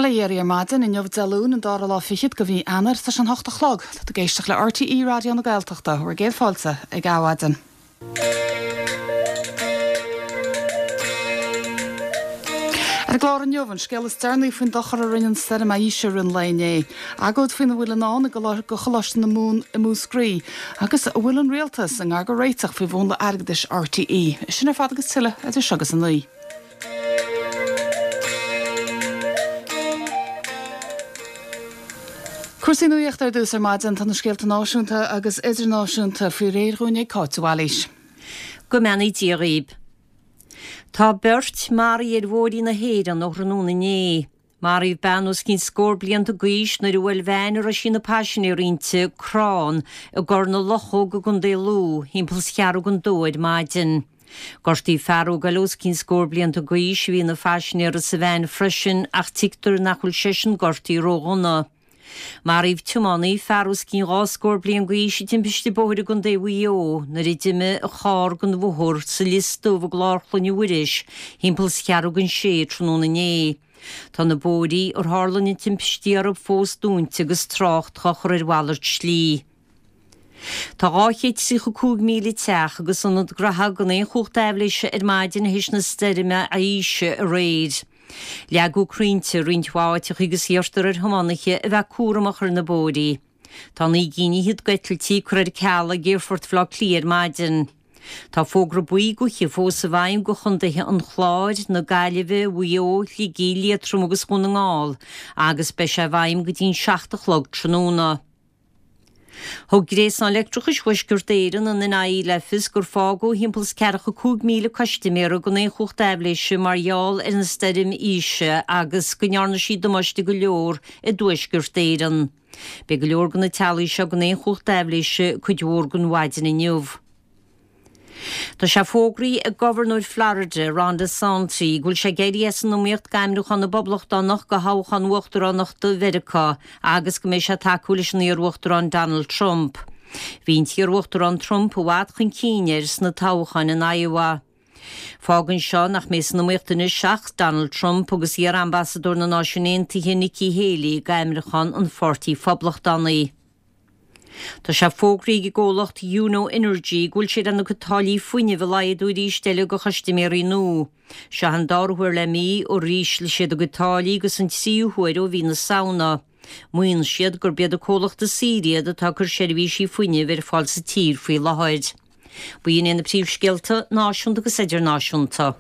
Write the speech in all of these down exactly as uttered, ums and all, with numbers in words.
Bail ó Dhia oraibh ar maidin inniu Dé Luain an dara lá fichead de mhí Eanáir tá sé an hocht a chlog Tá tú ag éisteacht le RTÉ Raidió na Gaeltachta bhur gcéad fáilte ag Adhmhaidin. Ar an gclár inniu an scéal is deireanaí faoin dochar a rinne an stoirm Isha i rith an lae inné. Agóid faoina bhfuil i ndán i go Choláiste na Mumhan i Múscraí, agus an bhfuil an rialtas i ngar do réiteach faoi mhúnla airgeadais RTÉ. Sin ar fad agus tuilleadh idir seo agus a naoi. Cúrsaí nuachta ar dtús ar maidin tá na scéalta náisiúnta agus idirnáisiúnta faoi réir dhúinn ag Cáit de Bhailís. Go mbeannaí Dia dhaoib. Tá beirt maraithe ar bhóithrí na hÉireann ó thráthnóna inné. Maraíodh bean os cionn scór blianta d'aois nuair a bhuail veain a raibh sí ina paisinéir inti crann i gCorr na Luchóg i gContae Lú thimpeall is ceathrú don dó ar maidin. Gortaíodh fear óg eile os cionn scór blianta d'aois a bhí ina phaisinéir sa veain freisin ach tuigtear nach bhfuil seisean gortaithe ródhona. Maraíodh tiománaí, fear os cionn dhá scór bliain d'aois i dtimpiste bóthair i gContae Mhaigh Eo nuair a d'imigh a charr den bhóthar sa Lios Dubh i gClár Chloinne Mhuiris thimpeall is ceathrú don sé tráthnóna inné. Tá na bóithrí ar tharla na timpistí orthu fós dúnta agus trácht á chur ar mhalairt slí. Tá dhá chéad tríocha cúig míle teach agus ionad graithe gan aon chumhacht aibhléise ar maidin théis na stoirme Isha aréir. Leagadh crainnte i roinnt mhaith áiteacha agus iarrtar ar thiománaithe a bheith cúramach ar na bóithrí. Tá naoi gcinn fhichead d'eitiltí curtha ar ceal ag Aerfort Bhaile Átha Cliath ar maidin. Tá fógra buí gaoithe fós i bhfeidhm do chontaetha an Chláir, na Gaillimhe, Mhaigh Eo, Shligigh, Liatroma agus Dhún na nGall agus beidh sé i bhfeidhm go dtí an seacht a chlog tráthnóna. Thug Gréasán Leictreachais Thuaisceart Éireann, an NIE, le fios gur fágadh thimpeall is ceathracha cúig míle custaiméara gan aon chumhacht aibhléise mar gheall ar an stoirm Isha agus go ndearna sí damáiste go leor i dTuaisceart Éireann. Beidh go leor de na teaghlaigh seo gan aon chumhacht aibhléise cuid mhór den mhaidin inniu. Tá sé fógraithe ag Gobharnóir Florida, Ron DeSantis, go bhfuil sé ag éirí as an iomaíocht d'ainmniúchán na bPoblachtánach do thoghchán uachtaránachta Mheiriceá agus go mbeidh sé ag tacú leis an iar-uachtarán Donald Trump. Bhí an t-iar-uachtarán Trump i bhfad chun cinn air sna toghcháin in Iowa. Fágann seo nach mbeidh san iomaíocht anois ach Donald Trump agus iar-ambasadóir na Náisiún Aontaithe Nikki Haley d'ainmniúchán an Pháirtí Phoblachtánaigh. Tá sé fógraithe ag an gcomhlacht Yuno Energy go bhfuil siad lena gcuid táillí fuinnimh a laghdú arís eile do chustaiméirí nua. Seo an dara huair le mí ó ísligh siad a gcuid táillí agus an tríú huair ó mhí na Samhna. Maíonn siad gurb iad an comhlacht is saoire iad atá ag cur seirbhísí fuinnimh ar fáil sa tír faoi láthair. B'in iad na príomhscéalta náisiúnta agus idirnáisiúnta.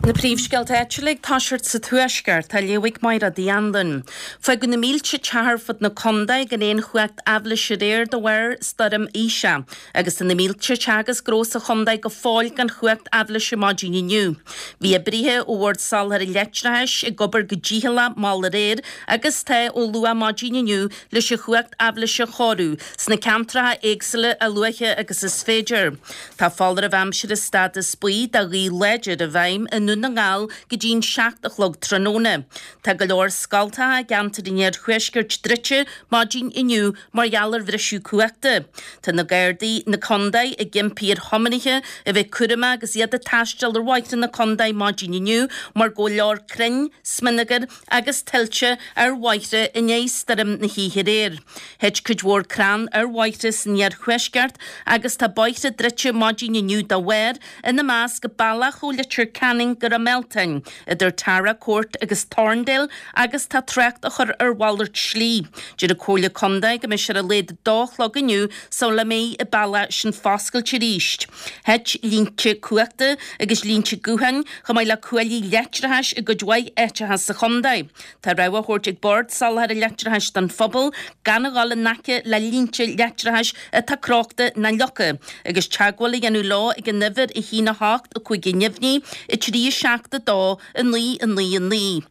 Na príomhscéalta áitiúla ag toiseacht sa Tuaisceart, á léamh ag Máire Uí Anluain. Fágadh na mílte teach ar fud na contae gan aon chumhacht aibhléise aréir de bharr stoirm Isha, agus tá na mílte teach agus gnó sa chontae go fóill gan chumhacht aibhléise maidin inniu. Bhí oibrithe ó Bhord Soláthair Leictreachais ag obair go dícheallach mall aréir agus tá ó luath maidin inniu leis an chumhacht aibhléise a chóiriú sna ceantracha éagsúla a luaithe agus is féidir. Tá foláireamh aimsire stádas buí do ghaoth láidir i bhfeidhm i nDún na nGall go dtí an seacht a chlog tráthnóna. Tá go leor scoltacha i gceantar an iarthuaiscirt druidte maidin inniu mar gheall ar bhriseadh cumhachta. Tá na Gardaí na contae ag impí ar thiománaithe a bheith cúramach agus iad ag taisteal ar bhóithre na contae maidin inniu mar go bhfuil leor crainn, smionagar agus tuilte ar bhóithre i ndiaidh stoirm na hoíche aréir. Thit cuid mhór crann ar bhóithre san iarthuaisceart agus tá bóithre druidte maidin inniu dá bharr, ina measc bealach ó Leitir Ceanainn go Ráth Mealtain, idir Tara Court agus Thorndale agus tá trácht á chur ar mhalairt slí. Deir an Comhairle Contae go mbeidh sé ar a laghad a dó a chlog inniu sula mbeidh an bealach sin foscailte arís. Thit línte cumhachta agus línte gutháin chomh maith le cuaillí leictreachais i gcuid mhaith áiteacha sa chontae. Tá rabhadh á thabhairt ag Bord Soláthair Leictreachais don phobal gan a dhul in aice le línte leictreachais atá crochta ná leagtha agus teagmháil a dhéanamh leo ag an uimhir a haon a hocht a cúig neamhní, a trí a seacht a dó a naoi a naoi a naoi.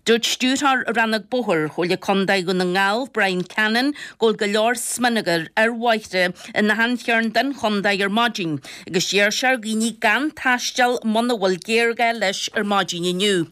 Dúirt Stiúrthóir Rannóg Bóthair Chomhairle Contae Dhún na nGall, Brian Cannon, go bhfuil go leor smionagar ar bhóithre in achan chearn den chontae ar maidin agus d'iarr sé ar dhaoine gan taisteal muna bhfuil géarghá leis ar maidin inniu.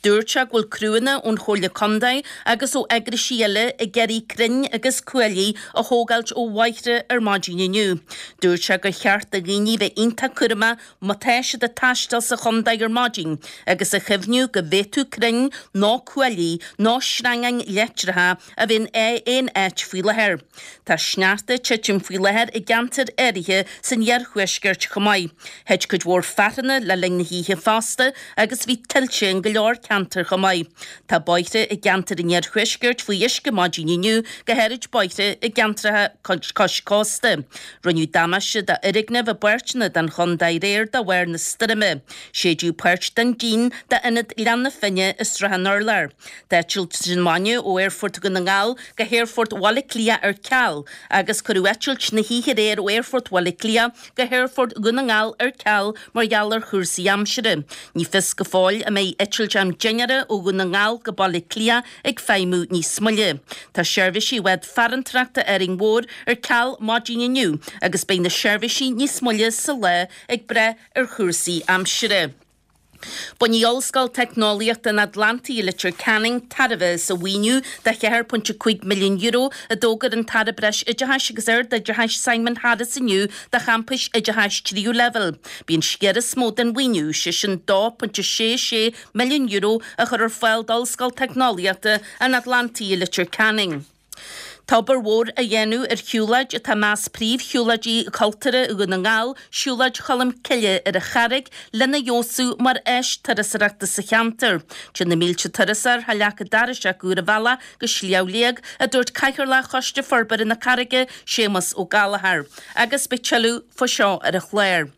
Dúirt sé go bhfuil criúnna ón Chomhairle Contae agus ó eagraisí eile ag iarraidh crainn agus cuaillí a thógáilt ó bhóithre ar maidin inniu. Dúirt sé gur cheart do dhaoine bheith iontach cúramach má tá siad ag taisteal sa chontae ar maidin agus a chuimhniú go bhféadfadh crainn nó cuaillí nó sreangáin leictreacha a bheith in aon áit faoi láthair. Tá sneachta ag titim faoi láthair i gceantair áirithe san iarthuaisceart chomh maith. Thit cuid mhór fearthainne le linn na hoíche fosta agus bhí tuilte in go leor ceantar chomh maith. Tá bóithre i gceantar an iarthuaiscirt faoi uisce maidin inniu, go háirid bóithre i gceantracha cois cósta. Rinneadh damáiste d'fhoirgnimh i bpáirteanna den chontae aréir de bharr na stoirme. Séideadh páirt den díon d'Ionad Ghleann na Finne i Srath an Urláir. Tá eitilt na maidine ó Aerfort Dhún na nGall go hAerfort Bhaile Átha Cliath ar ceal agus cuireadh eitilt na hoíche aréir ó Aerfort Bhaile Átha Cliath go hAerfort Dhún na nGall ar ceal mar gheall ar chúrsaí aimsire. Ní fios go fóill an mbeidh eitilt am dinnéara ó Dhún na nGall go Baile Átha Cliath ag feidhmiú níos moille. Tá seirbhísí bhád farantóireachta Árainn Mhór ar ceal maidin inniu agus beidh na seirbhísí níos moille sa lá ag brath ar chúrsaí aimsire. Bainfidh Ollscoil Teicneolaíochta an Atlantaigh i Leitir Ceanainn tairbhe as an mhaoiniú de cheathair pointe cúig milliún euro a d'fhógair an tAire Breis-Oideachais agus Ardoideachais Simon Harris inniu do champais oideachais tríú leibhéal. B'í an sciar is mó den mhaoiniú, sé sin dó pointe sé sé milliún euro a chur ar fáil d'Ollscoil Teicneolaíochta an Atlantaigh i Leitir Ceanainn. Tá obair mhór á dhéanamh ar shiúlóid atá i measc príomhshiúlóidí cultúrtha Dhún na nGall, Siúlóid Cholm Cille ar an Charraig, lena fheabhsú mar áis turasóireachta sa cheantar. Téann na mílte turasóir thar leac an dorais acu ar a bhealach go Sliabh Liag, a dúirt Cathaoirleach Choiste Forbartha na Carraige, Séamus Ó Gallchóir. Agus beidh tuilleadh faoi seo ar an chlár.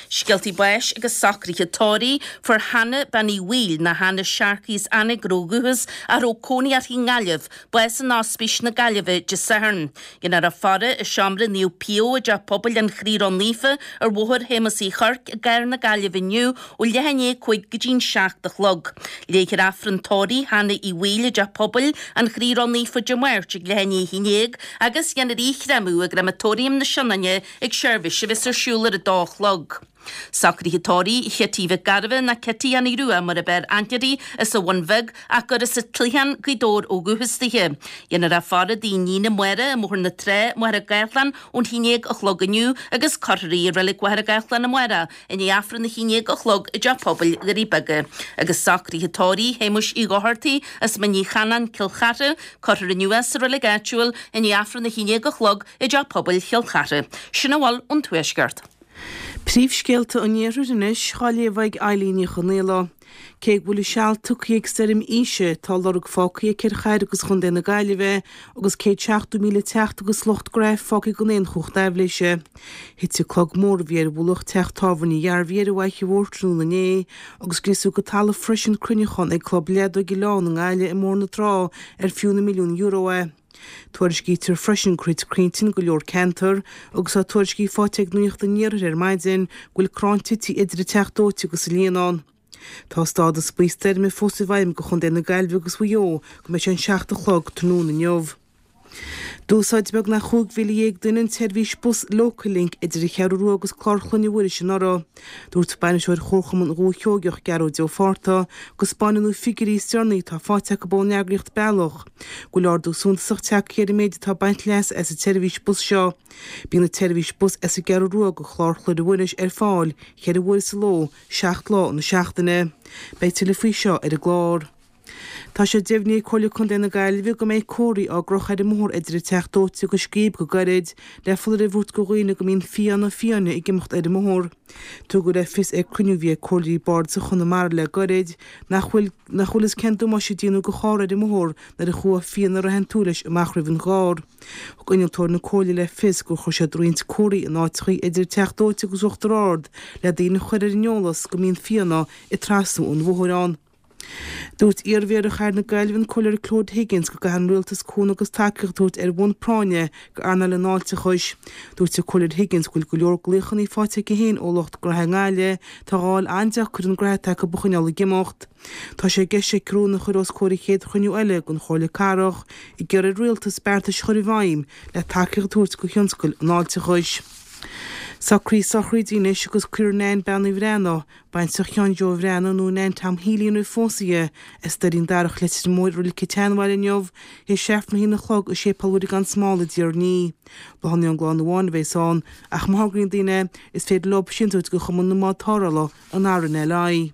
Scéaltaí báis agus socruithe tórraimh, Fuair Hannah Bean Uí Bhaoill, nó Hannah Sharkey as Eanaigh ó dhúchas, a raibh cónaí uirthi i nGaillimh, bás in Ospís na Gaillimhe Dé Sathairn. Déanfar a faire i seomra Naomh Pio i dTeach Pobail an Chroí Ró-Naofa ar Bhóthar Shéamuis Uí Chuirc i gcathair na Gaillimhe inniu ó leath i ndiaidh a cúig go dtí'n seacht a chlog. Léifear Aifreann tórraimh Hannah Uí Bhaoill i dTeach Pobail an Chroí Ró-Naofa Dé Máirt ag leath i ndiaidh a haon déag agus dhéanfar í a chréamadh i gcreamatóiriam na Sionainne ag seirbhís a bheas ar siúl ar a dó a chlog. Socruithe tórraimh Chití Mhic Gairbheith ná Cití Annie Rua mar ab fhearr aithne uirthi as an Bhun Bheag ach gur as an Chloicheán, Gaoth Dobhair ó dhúchas dithe. Dhéanfar a faire i dtigh a iníne Máire i mBóthar na Trá, Machaire Gathlán ón haon déag a chlog inniu agus cuirfear í i Reilig Mhachaire Gathlán amárach i ndiaidh Aifreann a haon déag a chlog i dTeach Pobail Dhoirí Beaga. Agus socruithe tórraimh Shéamuis Uí Dhochartaigh as Mín Uí Chanáin, Cill Chartha, cuirfear inniu é sa reilig áitiúil i ndiaidh Aifreann a haon déag a chlog i dTeach Pobail Chill Chartha. Sin a bhfuil ón Tuaisceart. Príomhscéalta an Iarthair anois, á léamh ag Eilín Ní Chonaola. Cé go bhfuil a seal tugtha ag stoirm Isha, tá lorg fágtha aici ar chathair agus chontae na Gaillimhe agus céad seachtó míle teach agus lucht gnaithe fágtha gan aon chumhacht aibhléise. Thit an clog mór a bhí ar mhullach teach tábhairne Dharvey ar an bhFaiche Mhór tráthnóna inné agus scriosadh go talamh freisin cruinneachán ag Club Leadóige Oileán i nGaillimh i mBóthar na Trá ar fiú na milliúin euro é. Tuairiscítear freisin gur thit crainnte in go leor ceantar agus tá tuairiscí faighte ag Nuacht an Iarthair ar maidin go bhfuil crann tite idir an Teach Dóite agus an Líonán. Tá stádas buí stoirme fós i bhfeidhm do Chontae na Gaillimhe agus Mhaigh Eo go mbeidh sé an seacht a chlog tráthnóna inniu. D'úsáid beagnach chúig mhíle dhéag duine an tseirbhís bus Local Link idir an Cheathrú Rua agus Clár Chlainne Mhuiris anuraidh. Dúirt bainisteoir Chomharchumann Dhúiche Sheoigeach, Gearóid Ó Fátharta, go spáineann na figiúirí is deireanaí atá faighte acu ón eagraíocht Bealach, go bhfuil ardú suntasach tagtha ar an méid atá ag baint leas as an tseirbhís bus seo. Bíonn an tseirbhís bus as an gCeathrú Rua go Clár Chlainne Mhuiris ar fáil ceithre huaire sa ló, seacht lá na seachtaine. Beidh tuilleadh faoi seo ar an gclár. Tá sé deimhnithe ag Comhairle Contae na Gaillimhe go mbeidh comharthaí á gcrochadh ar an mbóthar idir an Teach Dóite agus Scríb go gairid le foláireamh a thabhairt do dhaoine go mbíonn fianna fiáine ag imeacht ar an mbóthar. Tugadh le fios ag cruinniú a bhí ag comhairleoirí bardais Chonamara le gairid nach bhfuil nach bhfuil fhios cén damáiste a déanadh do charr ar an mbóthar nuair a chuaigh fianna raitheantúil leis amach roimh an gcarr. Thug innealtóir na comhairle le fios gur chuir siad roinnt comharthaí in áiteachaí idir an Teach Dóite agus Uachtar Ard le daoine a chur ar an eolas go mbíonn fianna ag trasnú an bhóthair ann. Dúirt iarMhéara Chathair na Gaillimhe an Comhairleoir Claude Higgins go gcaithfidh an rialtas cúnamh agus tacaíocht a thabhairt ar bhonn práinne go earnáil an fháilteachais. Dúirt an Comhairleoir Higgins go bhfuil go leor glaochanna faighte aici féin ó lucht gnaithe i nGaillimh atá á fháil an-deacair an gnaithe atá acu a choinneáil ag imeacht. Tá sé i gceist aici rún a chur os comhair an chéad chruinniú eile den Chomhairle Cathrach ag iarraidh ar an rialtas beartais a chur i bhfeidhm le tacaíocht a thabhairt go thionscal an fháilteachais. Socruithe sochraide anois agus cuirfear Nan Bean Uí Bhreathnaigh, baintreach Sheáin Joe Bhreathnaigh nó Nan Tom Healy nuair a phósadh í, as Doirín Darach, Leitir Móir i Reilig an tSeanbhaile inniu, théis Aifreann a haon a chlog i Séipéal Mhuire gan Smál i dTír an Fhia. Bláthanna ón gclann amháin a bheas ann, ach má thograíonn daoine, is féidir leo síntiús a thabhairt do Chumann na mBád Tarrthála an RNLI.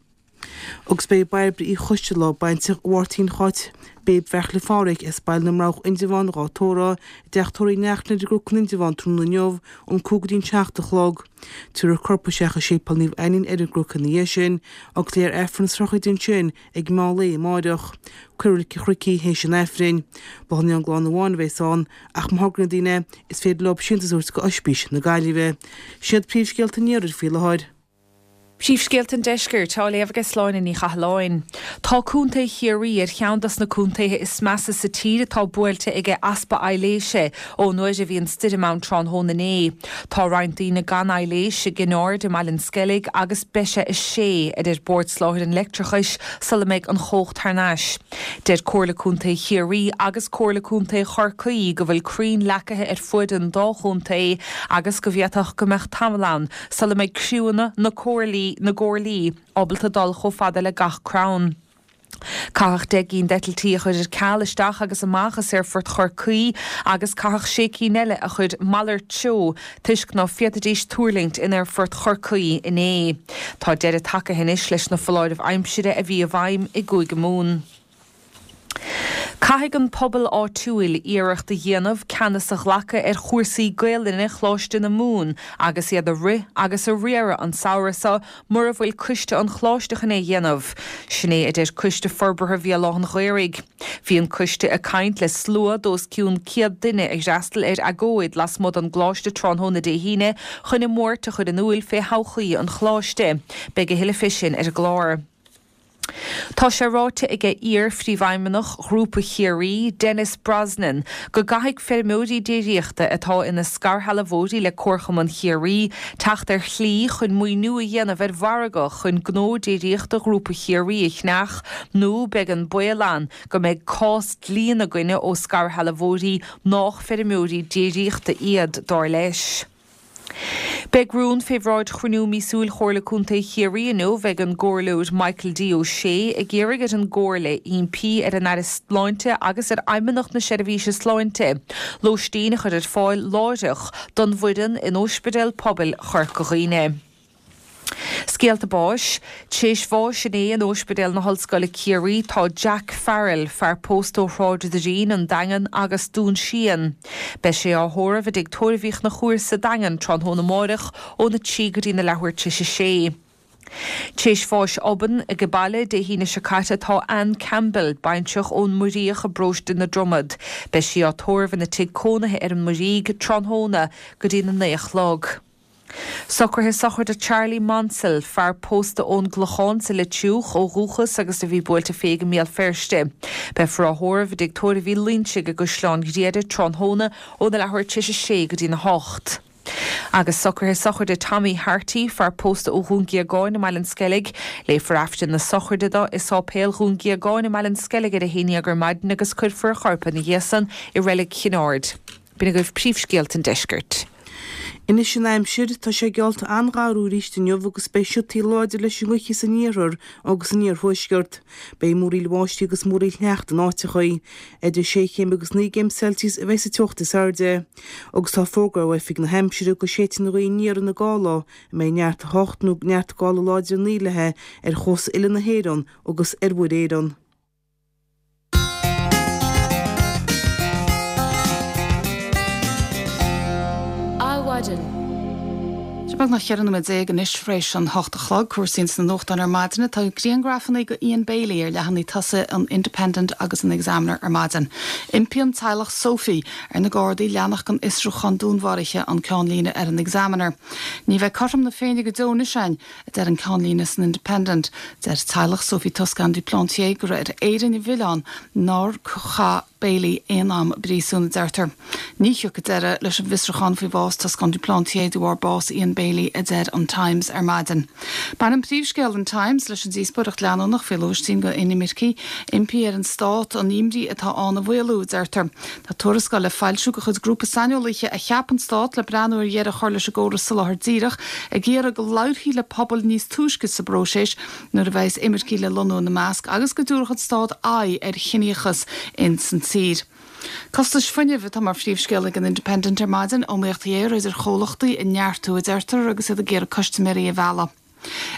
Agus beidh Bairbre Uí Choisteala, baintreach Mháirtín Cháit Béib Bheartla Phádhraic as Baile na mBroghach Indreabhán dhá tórramh i dteach tórraimh Uí Neachtain ar an gCnoc in Indreabhán tráthnóna inniu ón cúig go dtí an seacht a chlog. Tabharfar a corp isteach i Séipéal Naomh Ainnín ar an gCnoc ina dhiaidh sin agus léifear Aifreann na sochraide ansin ag meán lae amáireach. Cuirfear i Reilig an Chnoic í théis an Aifrinn. Bláthanna ón gclann amháin a bheas ann ach má thograíonn daoine is féidir leo síntiús a thabhairt go Oispís na Gaillimhe. Siad príomhscéalta an iarthair faoi láthair. Príomhscéalta an Deiscirt á léamh ag Sláine Ní Chathalláin. Tá Contae Chiarraí ar cheann dos na contaetha is measa sa tír atá buailte ag easpa aibhléise ón uair a bhí an stoirm ann tráthnóna inné. Tá roinnt daoine gan aibhléis i gCinn Aird i mBaile an Sceilg agus beidh sé a sé a deir Bord Soláthair an Leictreachais sula mbeidh an chumhacht thar n-ais. Deir Comhairle Contae Chiarraí agus Comhairle Contae Chorcaí go bhfuil crainn leacaithe ar fuaid an dá chontae agus go bhféadfadh go mbeadh tamall ann sula mbeidh criúnna na comhairlí na gcomhairlí ábalta dul chomh fada le gach crann. Caitheadh deich gcinn d'eitiltí a chur ar ceal isteach agus amach as Aerfort Chorcaí agus caitheadh sé cinn eile a chur malairt treo toisc ná féadfaidís tuirlingt in Aerfort Chorcaí inné. Tá deireadh tagtha anois leis na foláirimh aimsire a bhí i bhfeidhm i gCúige Mumhan. Caithfidh an pobal áitiúil iarracht a dhéanamh ceannas a ghlacadh ar chúrsaí Gaelainne Choláiste na Mumhan agus iad a rith agus a riaradh an samhradh seo mura bhfuil coiste an choláiste chun é a dhéanamh. Sin é a deir Coiste Forbartha Bhéal Átha an Ghaorthaidh. Bhí an coiste ag caint le slua d'os cionn céad duine a d'fhreastail ar agóid lasmuigh den gcoláiste tráthnóna Dé hAoine chun a mbuairt a chur in iúl fé thodhchaí an choláiste. Beidh a thuilleadh fé sin ar an gclár. Tá sé ráite aige iar-phríomhfheidhmeannach Ghrúpa Chiarraí, Denis Brosnan, go gcaithfidh feirmeoirí déiríochta atá ina scairshealbhóirí le Comharchumann Chiarraí teacht ar shlí chun maoiniú a dhéanamh ar mhargadh chun gnó déiríochta Ghrúpa Chiarraí a cheannach nó beidh an baol ann go mbeidh cás dlí ina gcoinne ó scairshealbhóirí nách feirmeoirí déiríochta iad, dar leis. Beidh rún fé bhráid chruinniú míosúil Chomhairle Contae Chiarraí inniu ag an gComhairleoir Michael D. O'Shea ag iarraidh ar an gComhairle impí ar an Aire Sláinte agus ar Fheidhmeannacht na Seirbhíse Sláinte lóistín a chur ar fáil láithreach don bhfoireann in Ospidéal Pobail Chorca Dhuibhne. Scéalta báis, Tar éis bháis inné in Ospidéal na hOllscoile Ciarraí tá Jack Farrell, fear pósta ó Shráid Doirín, an Daingean agus Dún Síon. Beidh sé á thórramh i dtigh tórraimh Uí Chonchúir sa Daingean tráthnóna amárach óna trí go dtí na leathuair tar éis a sé. Tar éis bháis obann ag baile Dé hAoine seo caite tá Anne Campbell, baintreach ón Muiríoch i bparóiste na Dromad. Beidh sí á tórramh ina tigh cónaithe ar an Muirígh tráthnóna go dtí na naoi a chlog. Socruithe sochraide Charlie Monsell, fear pósta ón gClochán sa Leitriúch ó dhúchas agus a bhí buailte fé i mBéal Feirste. Beifear á thórramh i dtigh tórraimh Uí Loinsigh i gCaisleán Ghriaire tráthnóna óna leathuair tar éis a sé go dtí na hocht. Agus socruithe sochraide Tommy Harty, fear pósta ó Dhún Géagáin i mBaile an Sceilg, léifear Aifreann na sochraide dó i Sáipéal Dhún Géagáin i mBaile an Sceilg ar a haon déag ar maidin agus cuirfear a chorp ina dhiaidh san i Reilig Chinn Aird. B'in agaibh príomhscéalta an deiscirt. Anois an aimsir, tá sé geallta an-gharú arís inniu agus beidh siotaí láidir leis an ngaoth san iarthar agus san iarthuaisceart. Beidh múraíl bháistí agus múraíl shneachta in áiteachaí. Idir sé chéim agus naoi gcéim Celsius a bheidh sa teocht is airde. Agus tá fógra ó Oifig na hAimsire go séidfidh an ghaoth aniar ina dhá lá a mbeidh neart a hocht nó neart gála láidir a naoi léi ar chósta uile na hÉireann agus ar Mhuir Éireann. Adhmhaidin. Sé beagnach cheithre nóiméad déag anois tar éis an hocht a chlog, cúrsaí ins na nuachtáin ar maidin. Tá grianghrafanna go Ian Bailey ar leathanaigh tosaigh an Independent agus an Examiner ar maidin. Impíonn teaghlach Sophie ar na Gardaí leanacht den fhiosrúchán dúnmharaithe an ceannlíne ar an Examiner. Ní bheidh cothrom na Féinne go deo anois againn, a deir an ceannlíne san Independent. Deir teaghlach Sophie Toscan du Plantier gur ar Éirinn an mhilleán nár chaith Bailey aon am i bpríosún, a deirtear. Ní thiocfaidh deireadh leis an bhfiosrúchán faoi bhás Toscán du Plantier de bharr bás Ian Bailey, a deir an Times ar maidin. Baineann príomhscéal an Times leis an díospóireacht leanúnach faoi lóistín go inimircigh. Impí ar an stát an imní atá ann a mhaolú, a deirtear. Tá tuarascáil le foilsiú de chuid grúpa saineolaithe a cheap an stát le breathnú ar dheireadh a chur leis an gcóras soláthair díreach ag iarraidh go labharfaí le pobail níos túisce sa bpróiseas nuair a bheas imircigh le lonnú ina measc agus go dtabharfadh an stát aghaidh ar chiníochas ins an tír. Costais fuinnimh atá mar phríomhscéal ag an Independent ar maidin, iomaíocht ghéar idir chomhlachtaí a neartú a deirtear agus iad ag iarraidh custaiméirí a mhealladh.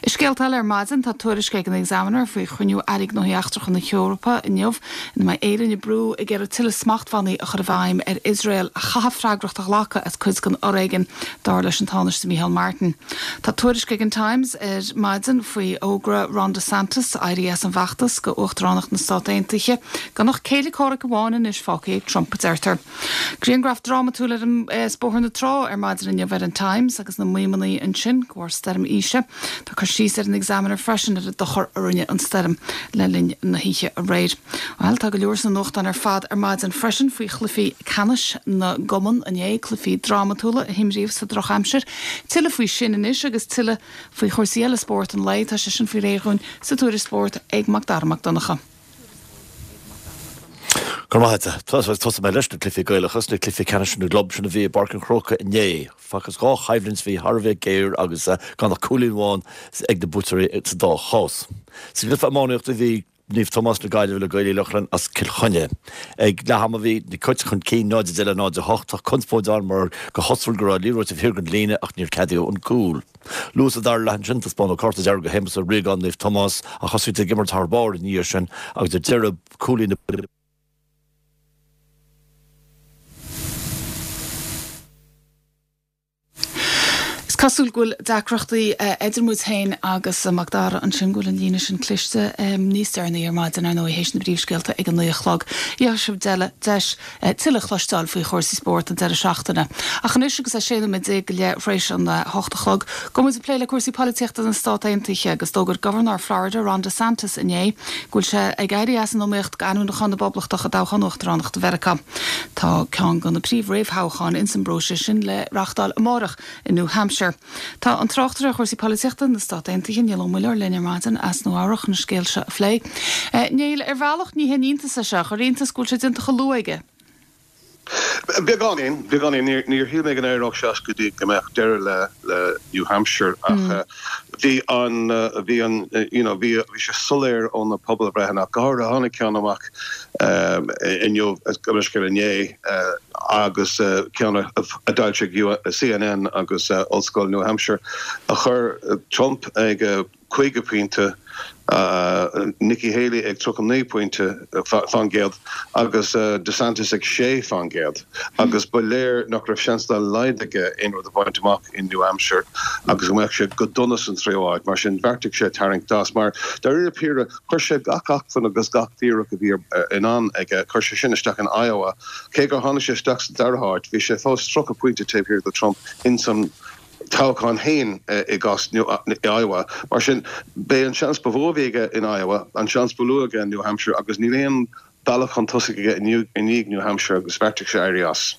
I scéalta eile ar maidin tá tuairisc ag an Examiner faoi chruinniú Airí Gnóthaí Eachtracha na hEorpa inniu ina mbeidh Éire ag brú ag iarraidh tuilleadh smachtbhannaí a chur i bhfeidhm ar Iosrael a chaithfidh freagracht a ghlacadh as cuid den fhoréigean, dar leis an Tánaiste Micheál Martin. Tá tuairisc ag an Times ar maidin faoi fhógra Ron DeSantis éirí as an bhfeachtas go Uachtaránacht na Stát Aontaithe, gan ach céile comhraic amháin anois fágtha ag Trump, a deirtear. Grianghraf drámatúil ar an as Bóthar na Trá ar maidin inniu ar an Times agus na maidhmeanna ansin de bharr stoirm Isha. Tá cur síos ar an Examiner freisin ar an dochar a rinne an stoirm le linn na hoíche aréir. Bhuel, tá go leor sna nuachtáin ar fad ar maidin freisin faoi chluichí ceannais na gcumann inné, cluichí drámatúla a himríodh sa drochaimsir. Tuilleadh faoi sin anois agus tuilleadh faoi chúrsaí eile spóirt an lae, tá sé sin faoi réir dhúinn sa tuairisc spóirt ag Mac Dara Mac Donncha. Go maith Tosóidh mé leis na cluichí Gaelacha na cluichí ceannais na gclub sin a bhí i bPáirc an Chrócaigh inné. Facthas dhá choimhlint bhí thar a bheith géar agus gan ach cúilín amháin ag na buaiteoirí sa dá chás. Sa gcluiche iománaíochta bhí Naomh Tomás na Gaillimhe le Gaeil Uí Lochlainn as Cill Chainnigh. Ag leath ama bhí na Cait chun cinn náid a deich le náid a hocht ach conspóid ann mar go cosúil go raibh liathróid taobh thiar den líne ach níor ceadaíodh an cúl. Luath sa dara leath ansin taispeánadh cárta dearg do Shéamus Ó Riagáin Naomh Tomás ach thosaigh siad ag imirt thar barr ina dhiaidh sin agus ar deireadh cúilín na Is cosúil go bhfuil deacrachtaí idir muid féin agus Mac Dara ansin go bhfuil an líne sin cliste níos deireanaí ar maidin ar ndóigh théis na bpríomhscéalta ag an naoi a chlog. Gheobhaidh sibh deis tuilleadh a chloisteáil faoi chúrsaí spóirt an deireadh seachtaine. Ach anois agus é sé nóiméad déag go leith tar éis an hocht a chlog, gabhfaidh muid ag plé le cúrsaí polaitíochta na Stát Aontaithe agus d'fhógair Gobharnóir Florida Ron DeSantis inné go bhfuil sé ag éirí as an iomaíocht d'ainmniúchán na bPoblachtach i dtoghchán uachtaránachta Mheiriceá. Tá ceann de na príomh-réamhthoghcháin ins an bpróiseas sin le reáchtáil amárach i New Hampshire. Tá an tráchtaire ar chúrsaí polaitíochta na Stát Aontaithe Niall Ó Muilleoir linn ar maidin as Nua Eabhrac chun an scéal seo a phlé. Niall, ar bhealach ní haon iontas é seo, ar iontas go bhfuil sé déanta chomh luath aige. Beagáinín, beagáinín, níor shíl mé go n-éireodh sé as go dtí go mbeadh deireadh le le New Hampshire ach bhí an bhí an you know bhí bhí sé soiléir ó na pobalbhreitheanna go háirithe tháinig ceann amach inniu gabh mo leithscéal inné agus ceann a d'fhoilsigh C N N agus Ollscoil New Hampshire a chuir Trump ag caoga pointe, Nikki Haley ag tríocha naoi pointe faoin gcéad agus DeSantis ag sé faoin gcéad agus ba léir nach raibh seans dá laghad aige aon rud a bhaint amach in New Hampshire agus go mbeadh sé go dona san tríú háit. Mar sin bheartaigh sé tarraingt as mar dáiríre píre chuir sé gach acmhainn agus gach iarracht a bhí in ann aige, chuir sé sin isteach in Iowa. Cé gur tháinig sé isteach sa dara háit, bhí sé fós tríocha pointe taobh thiar de Trump in san toghchán féin i gcás Iowa. Mar sin b'é an seans ba mhó a bhí aige in Iowa, an seans ba lú aige in New Hampshire agus níl aon bealach chun tosaigh aige i ndiaidh New Hampshire agus bheartaigh sé éirí as.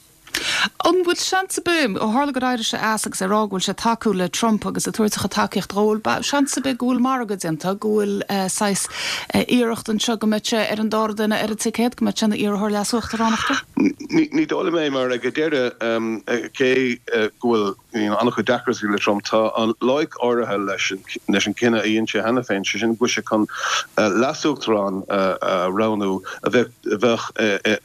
An bhfuil seans ar bith, ó tharla gur éirigh sé as agus é ag rá go bhfuil sé ag tacú le Trump agus ag tabhairt a chuid tacaíocht dhó, bhfuil seans ar bith go bhfuil margadh déanta, go bhfuil saghas iarracht anseo go mbeidh sé ar an dara duine ar an ticéad, go mbeidh sé ina iarrthóir leas-uachtaránachta? Ní dóigh liom é mar ag an deireadh cé go bhfuil an-chuid deacrachtaí le Trump, tá an loighic áirithe leis leis an cinneadh a dhein sé cheana féin, sé sin go bhfuil sé chun leas-uachtarán a roghnú a bheadh bheadh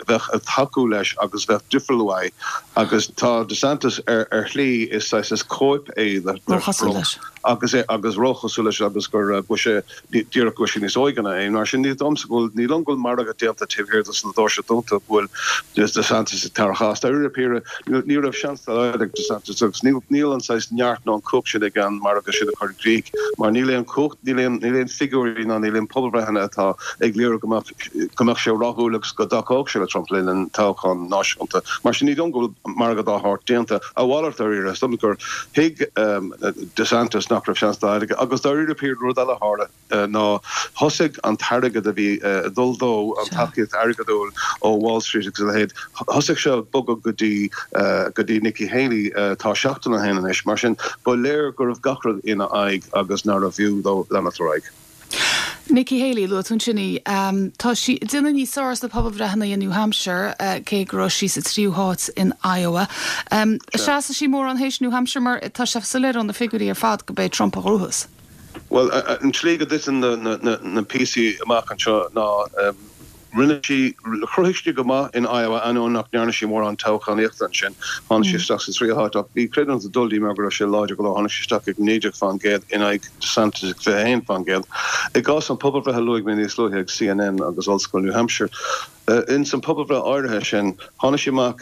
bheadh ag tacú leis agus bheadh difriúil uaidh agus tá DeSantis ar ar shlí is saghas is cóip é de Róchosúil Trump leis. agus é agus róchosúil leis agus gur go bhfuil sé díreach go bhfuil sé níos óige ná é. Mar sin ní domsa go bhfuil ní liom go bhfuil margadh déanta taobh thiar de na doirse dúnta go bhfuil DeSantis ag tarraingt as. Dáiríre píre ní raibh seans dá laghad ag DeSantis agus níl an saghas neart ná an cumhacht sin ag an margadh sin a chur i gcrích mar níl aon chumhacht, níl aon níl aon figiúirí ná níl aon pobalbhreitheanna atá ag léiriú go mbeadh go mbeadh sé rathúil agus go dtacódh sé le Trump le linn toghchán náisiúnta. Mar sin ní dóigh go bhfuil margadh dá shórt déanta. A mhalairt dáiríre, is dóigh gur thuig DeSantis nach nach raibh seans dá laghad aige. Agus dáiríre píre rud eile a tharla ná thosaigh an t-airgead a bhí ag dul dó, an tacaíocht airgeadúil ó Wall Street agus a leithéid, thosaigh sé ag bogadh go dtí go dtí Nikki Haley tá seachtain ó shin anois. Mar sin, ba léir go raibh gach rud ina aghaidh agus nárbh fhiú dó leanacht ar aghaidh. Nikki Haley, luaigh tú ansin í. Tá sí ag déanamh níos fearr sna pobalbhreitheanna i New Hampshire, cé go raibh sí sa tríú háit in Iowa. Seasfaidh sí mórán théis New Hampshire mar tá sé soiléir ó na figiúirí ar fad go b'é Trump a ghnóthós. Bhuel, an tslí go dtiteann na píosaí amach anseo ná Rinne sí, chruthaigh sí go maith in Iowa ainneoin nach ndearna sí mórán toghchánaíochta ansin. Tháinig sí isteach sa tríú háit ach bhí creidiúint ag dul di mar go raibh sé láidir go leor. Tháinig sí isteach ag naoi déag faoin gcéad in aghaidh DeSantis ag fiche a haon faoin gcéad. I gcás an pobalbhreith a luaigh mé níos luaithe ag CNN agus Ollscoil New Hampshire, ins an pobalbhreith áirithe sin, tháinig sí amach,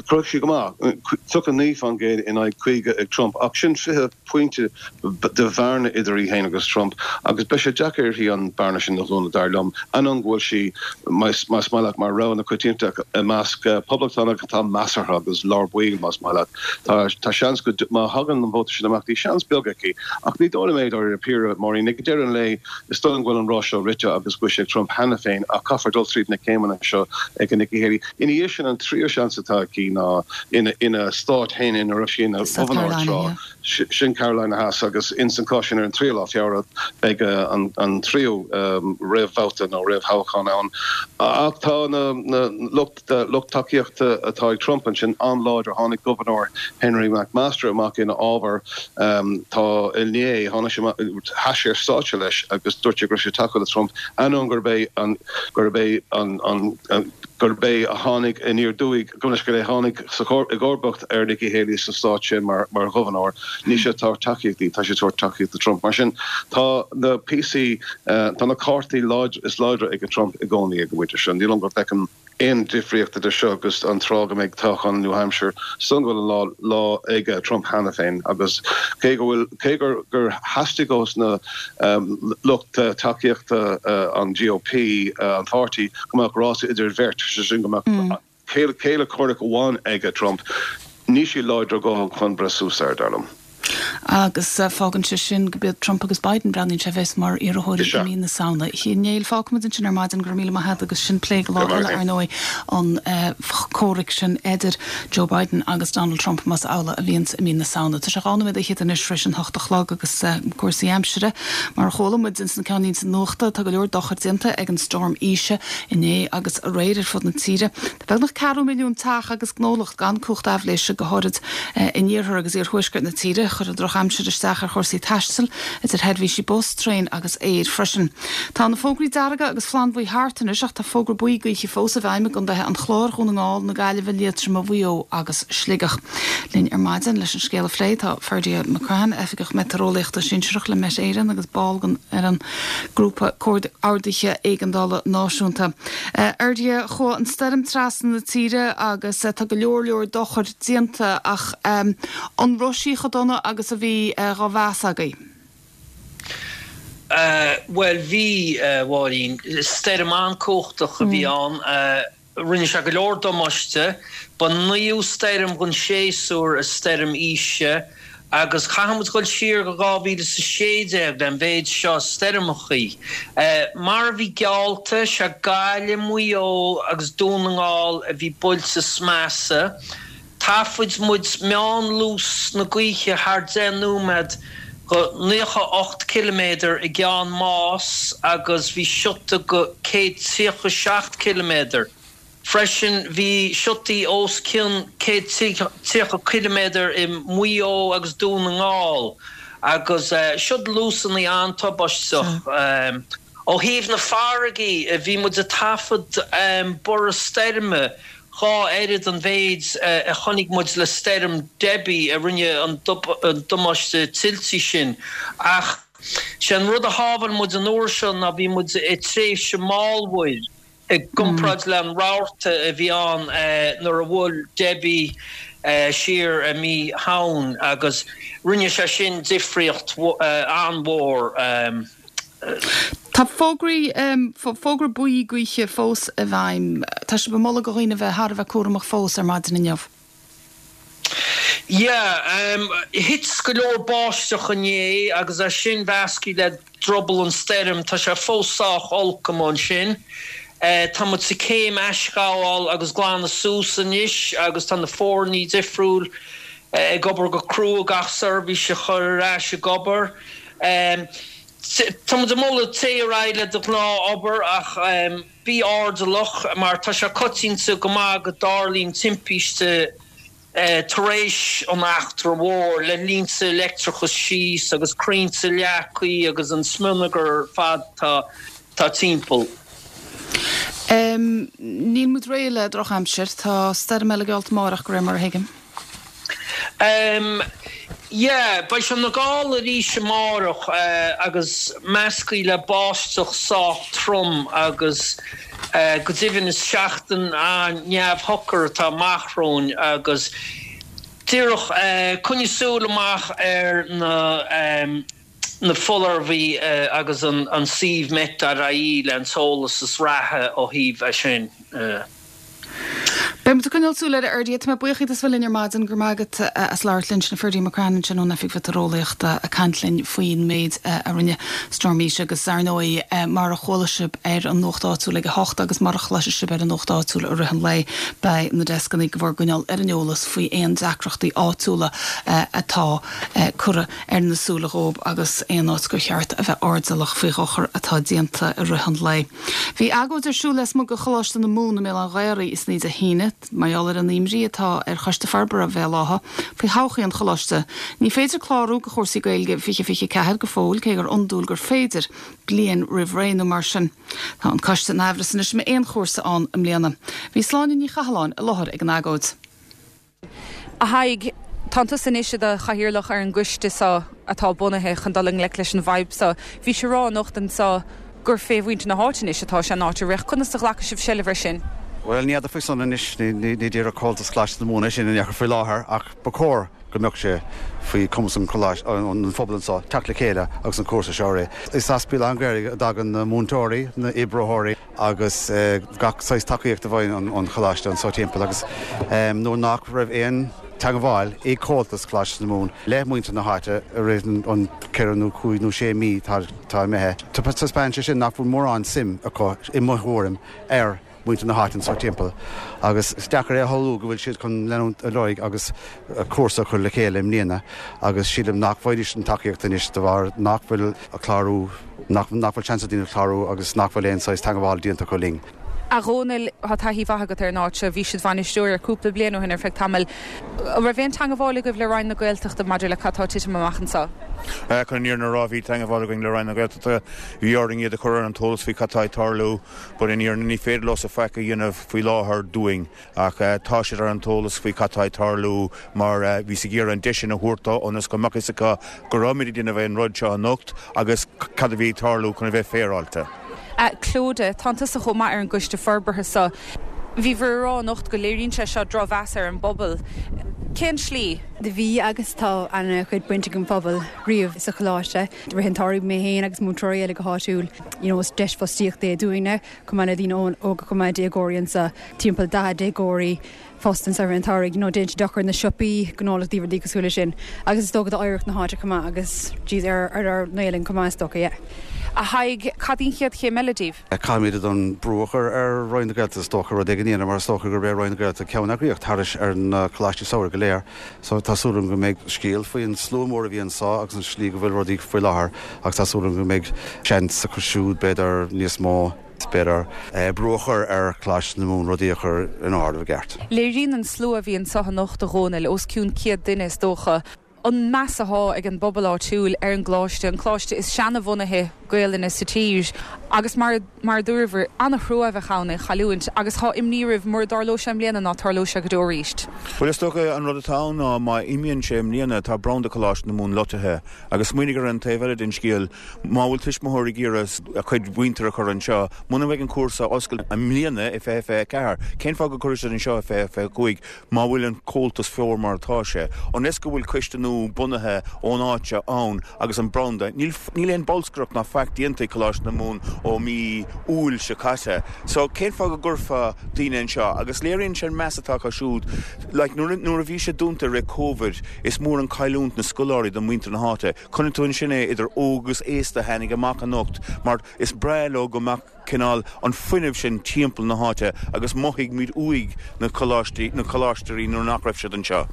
chruthaigh sí go maith, tríocha naoi faoin gcéad in aghaidh caoga ag Trump ach sin fiche pointe de bhearna idir í féin agus Trump agus beidh sé deacair uirthi an bearna sin a dhúnadh, dar liom, ainneoin go bhfuil sí, más maith leat, mar rogha na coitianta i measc poblachtánach atá measartha agus lár baill, más maith leat. Tá seans go, má thagann an vóta sin amach, bhí seans beag aici ach ní dóigh liom é, dáiríre píre, Máirín. Ag deireadh an lae, is dóigh liom go bhfuil an rás seo rite agus go bhfuil sé ag Trump cheana féin ach caithfear dul tríd na céimeanna seo ag Nikki Haley. Ina dhiaidh sin, an tríú seans atá aici ná ina stát féin ina raibh sí ina ghobharnóir tráth. Sin Carolina Theas agus ins an cás sin ar an tríú lá Feabhra beidh an tríú réamhbhabhta nó réamhthoghchán ann. Ach tá na lucht lucht tacaíochta atá ag Trump ansin an-láidir. Tháinig Gobharnóir Henry McMaster amach ina fhábhar tá inné. Tháinig sé amach, sheas sé ar stáitse leis agus dúirt sé go raibh sé ag tacú le Trump ainneoin gurb é an gurb é an an gurb é a tháinig aniar aduaidh, gabh mo leithscéal, é a tháinig sa i gcomharbacht ar Nikki Haley sa stát sin mar mar ghobharnóir. Níl sé ag tabhairt tacaíocht di, tá sé ag tabhairt tacaíocht do Trump. Mar sin, tá na píosaí, tá na cártaí is láidre ag Trump i gcónaí ag an bpointe seo. Ní dóigh liom go bhfeicim aon difríocht idir seo agus an tráth go mbeidh toghchán New Hampshire. Is dóigh liom go bhfuil an lá lá ag Trump cheana féin agus cé go bhfuil, cé gur gur theastaigh ós na lucht tacaíochta an GOP, an pháirtí, go mbeadh rása idir an bheirt, sé sin go mbeadh céile comhraic amháin ag Trump, níl siad láidir a dhóthain chun breith suas air, dar liom. Agus fágann sé sin go b'iad Trump agus Biden, breathnaíonn sé, a bheas mar iarrthóirí i mí na Samhna. A Néill, fágfaimid ansin ar maidin, go raibh míle maith agat agus sin plé go lá eile, ar ndóigh, an comhrac sin idir Joe Biden agus Donald Trump, más amhlaidh a bhíonns i mí na Samhna. Tá sé dhá nóiméad fhichead anois tar éis an hocht a chlog agus cúrsaí aimsire, mar a chuala muid ins na ceannlínte nuachta, tá go leor dochair déanta ag an Storm Isha inné agus aréir ar fud na tíre. Tá beagnach ceathrú milliún teach agus gnólacht gan cumhacht aibhléise, go háirid in iarthar agus iarthuaisceart na tíre. Chuir an drochaimsir isteach ar chúrsaí taistil, idir sheirbhísí bus, traein agus aeir freisin. Tá na fógraí dearga agus flannbhuí thart anois ach tá fógra buí gaoithe fós i bhfeidhm i gcontaetha an Chláir, Dhún na nGall, na Gaillimhe, Liatroma, Mhaigh Eo agus Sligeach. Linn ar maidin leis an scéal a phlé tá Ferdia McCrann, Oifigeach Meitéareolaíochta Sinsearach le Met Éireann agus ball den ar an nGrúpa Comhordaithe Éigeandála Náisiúnta. Ferdia, chuaigh an stoirm trasna na tíre agus tá go leor leor dochair déanta ach an raibh sí chomh dona agus a bhí dhá mheas agaibh? Bhuel, bhí, a Mháirín. Stoirm an-cumhachtach a bhí ann. Rinne sé go leor damáiste. Ba naoú stoirm den séasúr é Stoirm Isha agus caithfidh muid dul siar go dhá mhíle is a sé déag le an mhéid seo stoirmeachaí. Mar a bhí geallta, sé Gaillimh, Maigh Eo agus Dún na nGall a bhí buailte is measa. Thaifead muid meánluas na gaoithe thar deich nóiméad go naocha ocht ciliméadar i gCeann Máis agus bhí siota go céad tríocha seacht ciliméadar. Freisin bhí siotaí os cionn céad tríocha ciliméadar i Maigh Eo agus Dún na nGall agus siod luasanna an-tubaisteach. Ó thaobh na farraige, bhí muid ag taifead borradh stoirme dhá oiread an mhéid a chonaic muid le stoirm Debbie a rinne an damáiste tuilte sin. Ach sé an rud a shábháil muid an uair seo ná bhí muid i tréimhse mallmhuir i gcomparáid le an rabharta a bhí ann nuair a bhuail Debbie siar i mí Shamhain agus rinne sé sin difríocht an-mhór. Tá fógraí, fógra buí gaoithe fós i bhfeidhm. Tá sibh ag moladh do dhaoine bheith thar a bheith cúramach fós ar maidin inniu. Yeah, um, thit go leor báisteach inné agus é sin measctha le druball an stoirm, tá sé fós sách olc ansin. Uh, tá muid sa céim aisghabháil agus glanadh suas anois agus tá na foirne difriúil uh, ag obair go crua gach seirbhís a chur ar ais ag obair. Um, Tá muid ag moladh téigh ar aghaidh le do ghnáthobair ach um, bí airdeallach mar tá sé coitianta go maith go dtarlaíonn timpiste uh, tar éis an eachtra mhór le línte leictreachais síos agus crainnte leagtha agus an smionagar ar fad tá tá timpeall. Um, níl muid réidh le drochaimsir, tá stoirm eile geallta amárach de réir mar a thuigim. Um, yeah, beidh sé na gála arís amárach uh, agus measctha le báisteach sách trom agus uh, go deimhin is seachtain an-neamhshocair atá amach romhainn agus díreach uh, coinnigh súil amach ar na um, na foláirimh uh, agus an, an suíomh met.ie le an t-eolas is reatha ó thaobh é sin. Uh. Beidh muid ag coinneáil súil air Ferdia tá mé buíoch díot as bheith linn ar maidin go raibh maith agat as labhairt linn sin Ferdia McCrann sin ón Oifig Mheitéareolaíochta ag caint linn faoin méid a rinne Storm Isha agus ar ndóigh mar a chuala sibh ar an nuacht áitiúil ag a hocht agus mar a chloisfidh sibh ar an nuacht áitiúil i rith an lae beidh na deascanna go bhur gcoinneáil ar an eolas faoi aon deacrachtaí áitiúla atá curtha ar na súile dhóibh agus aon áit gur cheart a bheith airdeallach faoi dhochar atá déanta i rith an lae. Bhí agóid ar siúl lasmuigh de Choláiste na Mumhan i mBéal Átha an Ghaorthaidh is ní de híine mar gheall ar an imní atá ar Choiste Forbartha Bhéal Átha faoi thodhchaí an choláiste. Ní féidir clárú do chúrsaí Gaeilge fiche fiche ceathair go fóill cé gur iondúil gur féidir bliain roimh ré nó mar sin. Tá an coiste in amhras anois an mbeidh aon chúrsa ann i mbliana. Bhí Sláine Ní Chathalláin i láthair ag an agóid. A Thaidhg, Tá tusa anois i do chathaoirleach ar an gcoiste seo atá bunaithe chun dul i ngleic leis an bhfadhb seo. Bhí sé rá anocht anseo gur fé mhuintir na háite anois atá sé an áit a rith conas a ghlacann sibh seilbh air sin. Well ní fheadar faoi san anois ní díreach Comhaltas Choláiste na Mumhan sin in faoi láthair ach ba chóir go mbeadh sé faoi chumas an an phobal anseo teacht le chéile agus an cúrsa seo ré. Is as Béal Átha an Ghaorthaidh a dtagann na múinteoirí, na hoibreoirí agus gach saghas tacaíocht a bhain an choláiste anseo timpeall agus nuair nach raibh aon teagmháil ag Comhaltas Choláiste na Mumhan le muintir na háite i rith an ceithre nó cúig nó sé mí tá imithe. Taispeánann sé sin nach bhfuil mórán suim acu i mo thuairim ar muintir na háite anseo timpeall. Agus is deacair é a shamhlú go bhfuil siad chun leanúint ar aghaidh agus cúrsa a chur le chéile i mbliana agus sílim nach bhfaighidís an tacaíocht anois de bharr nach bhfuil a chlárú nach bhfuil seans ag daoine clárú agus nach bhfuil aon saghas teagmháil déanta acu linn. A Dhónaill tá taithí mhaith agat ar an áit seo, bhí sibh bainisteoir ar cúpla bliain ó shin ar feadh tamaill. An raibh aon teagmháil agaibh le Roinn na Gaeltachta maidir le cad tá ag titim amach anseo? Chun an fhírinne a rá bhí teagmháil againn le Roinn na Gaeltachta, bhí orainn iad a chur ar an eolas faoi cad tá ag tarlú, but in fhírinne ní féidir leo faic a dhéanamh faoi láthair dúinn ach tá siad ar an eolas faoi cad tá ag tarlú mar bhíos ag iarraidh an deis sin a thabhairt dó ionas go mbeadh fhios acu go raibh muid ag déanamh an rud seo anocht agus cad a bhí ag tarlú chun a bheith féaráilte. Clodagh, tá tusa chomh maith ar an gcoiste forbartha seo. Bhíobhair ag rá anocht go léiríonn sé seo drochmheas ar an bpobal. Cén slí? Bhí agus tá an-chuid baint ag an phobal riamh sa choláiste. Rith an tsamhraidh mé féin agus múinteoirí eile go háitiúil. You know, is deis fostaíochta é dúinne, chomh maith le daoine óga chomh maith déagóirí anseo timpeall daichead déagóirí fostaithe anseo an tsamhraidh, you know, déanann sé dochar na siopaí gnólachtaí rudaí cosúil leis sin. Agus is dócha d'oidhreacht na háite chomh maith agus geez ar ar ár nGaelainn chomh maith is dócha, yeah. A Thaidhg, cad í an chéad chéim eile díbh? Caithfimid an brú a chur ar Roinn na Gaeltachta is dócha rud éigin a dhéanamh mar is dócha gurb é Roinn na Gaeltachta ceanneagraíocht thairis ar na coláistí samhraidh go léir. So tá súil agam go mbeidh scéal faoin slua mór a bhí anseo agus an slí go bhfuil rudaí faoi láthair agus tá súil agam go mbeidh seans acu siúd b'fhéidir níos mó b'fhéidir brú a chur ar Choláiste na Mumhan rudaí a chur in ord i gceart. Léiríonn an slua a bhí anseo anocht a Dhónaill os cionn céad duine is dócha. An meas atá ag an bpobal áitiúil ar an gcoláiste, an coláiste is seanbhunaithe Gaelainne sa tír, agus mar mar a dúradh an-trua a bheadh ann é a chailliúint agus tá imní oraibh mura dtarlóidh sé i mbliana ná tarlóidh sé go deo arís. Bhuel is dócha an rud atá ann ná má imíonn sé i mbliana tá branda Coláiste na Mumhan loitithe agus smaoinigh ar an taobh eile den scéal má bhfuil tuismitheoirí ag iarraidh a chuid mhuintir a chur anseo muna mbeidh an cúrsa oscailte i mbliana i fiche fiche ceathair cén fáth go gcuirfidh siad anseo i fiche fiche cúig má bhfuil an comhaltas fuar mar atá sé ionas go bhfuil coiste nua bunaithe ón áit seo ann agus an branda níl níl aon bolscaireacht ná faic déanta ag Coláiste na Mumhan ó mí Iúil seo caite. So cén fáth go gcuirfeá daoine anseo? Agus léiríonn sé an meas atá acu siúd. Like nuair nuair a bhí sé dúnta i rith Covid, is mór an cailliúint na scoláirí do mhuintir na háite. Chonaic tú ansin é idir óg agus aosta a tháinig amach anocht mar is breá leo go mbeadh cineál an fuinneamh sin timpeall na háite agus mhothaigh muid uaidh na coláistí na coláisteoirí nuair nach raibh siad anseo.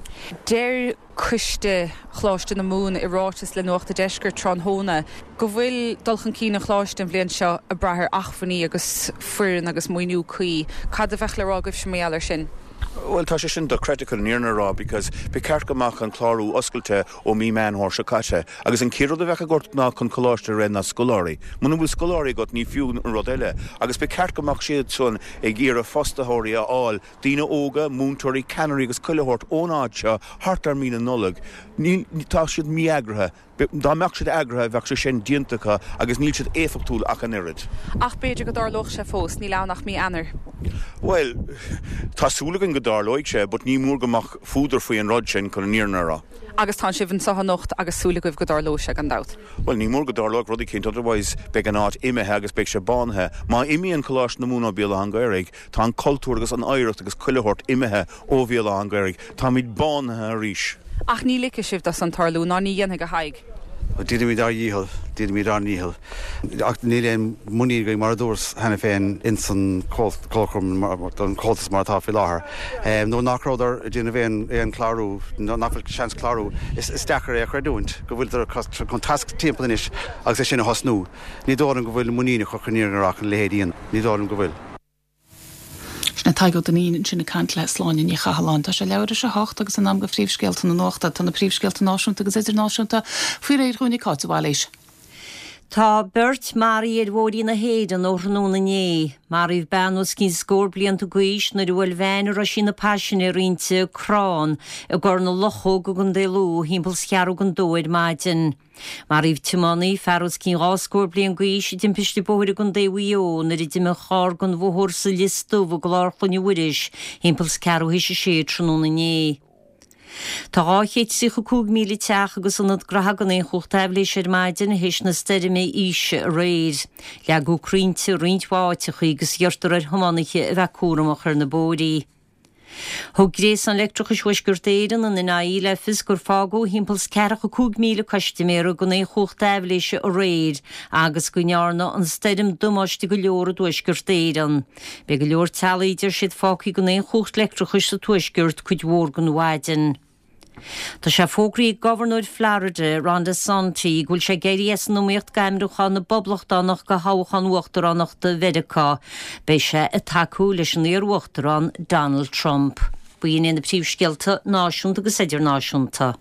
Deir Coiste Choláiste na Mumhan i ráiteas le Nuacht an Deiscirt tráthnóna go bhfuil dul chun cinn an Choláiste an bhliain seo ag brath ar acmhainní agus foireann agus maoiniú cuí. Cad a bheadh le rá agaibhse mar gheall air sin? Bhuel, tá sé sin dochreidte chun an fhírinne a rá because ba cheart go mbeadh an clárú oscailte ó mí Meán Fómhair seo caite agus an chéad rud a bheadh agat ná chun coláiste a rith ná scoláirí. Muna bhfuil scoláirí agat ní fiú an rud eile agus ba cheart go mbeadh siad san ag iarraidh fostaitheoirí a fháil, daoine óga, múinteoirí, ceannairí agus chuile shórt ón áit seo thart ar mí na Nollag. Níl, tá siad mí-eagraithe. Dá mbeadh siad eagraithe bheadh sé sin déanta acu agus níl siad éifeachtúil ach an oiread. Ach b'fhéidir go dtarlódh sé fós, níl ann ach mí Eanáir. Bhuel, tá súil againn go dtarlóidh sé but ní mór go mbeadh fuadar faoi an rud sin chun an fhírinne a rá. Agus tá sibh anseo anocht agus súil agaibh go dtarlóidh sé gan dabht. Bhuel, ní mór go dtarlódh rud eicínt otherwise beidh an áit imithe agus beidh sé bánaithe. Má imíonn Coláiste na Mumhan ó Bhéal Átha an Ghaorthaidh, tá an cultúr agus an oidhreacht agus chuile shórt imithe ó Bhéal Átha an Ghaorthaidh. Táimid bánaithe arís. Ach ní ligfidh sibh dó san tarlú, ná ní dhéanfaidh, a Thaidhg. Déanfaimid ár ndícheall, déanfaimid ár ndícheall. Ach níl aon muinín againn, mar a dúras cheana féin, ins an Comharchumann, don Chomhaltas mar atá faoi láthair. Nuair nach rabhadar ag déanamh aon aon clárú, nach bhfuil seans clárú, is is deacair é a chreidiúint go bhfuiltear chun tasc timpeall anois agus é sin a thosnú. Ní dóigh liom go bhfuil muinín acu chun an fhírinne a rá chun a leithéid a dhéanamh. Ní dóigh liom go bhfuil. Sin é Tadhg Ó Duinnín ansin ag caint le Sláine Ní Chathalláin. Tá sé leathuair tar éis a hocht agus in am do phríomhscéalta na nuachta. Tá na príomhscéalta náisiúnta agus idirnáisiúnta faoi réir dhúinn ag Cáit de Bhailís. Tá beirt maraithe ar bhóithrí na hÉireann ó thráthnóna inné. Maraíodh bean os cionn scór blianta d'aois nuair a bhuail veain a raibh sí ina paisinéir inti crann i gCorr na Luchóg i gContae Lú thimpeall 's ceathrú don dó ar maidin. Maraíodh tiománaí, fear os cionn dhá scór bliain d'aois, i dtimpiste bóthair i gContae Mhaigh Eo nuair a d'imigh a charr den bhóthar sa Lios Dubh i gClár Chloinne Mhuiris thimpeall 's ceathrú théis a sé tráthnóna inné. Tá dhá chéad tríocha cúig míle teach agus ionad graithe gan aon chumhacht aibhléise ar maidin théis na stoirme Isha aréir. Leagadh crainnte i roinnt mhaith áiteachaí agus iarrtar ar thiománaithe a bheith cúramach ar na bóithrí. Thug Gréasán Leictreachais Thuaisceart Éireann, an NIE, le fios gur fágadh thimpeall 's ceathracha cúig míle custaiméara gan aon chumhacht aibhléise aréir agus go ndearna an stoirm damáiste go leor i dTuaisceart Éireann. Beidh go leor teaghlaigh, a deir siad, fágtha gan aon chumhacht leictreachais sa Tuaisceart cuid mhór den mhaidin. Tá sé fógraithe ag Gobharnóir Florida, Ron DeSantis, go bhfuil sé ag éirí as an iomaíocht d'ainmniúchán na bPoblachtánach do thoghchán uachtaránachta Mheiriceá. Beidh sé ag tacú leis an iar-uachtarán Donald Trump. B'in iad na príomhscéalta náisiúnta agus idirnáisiúnta.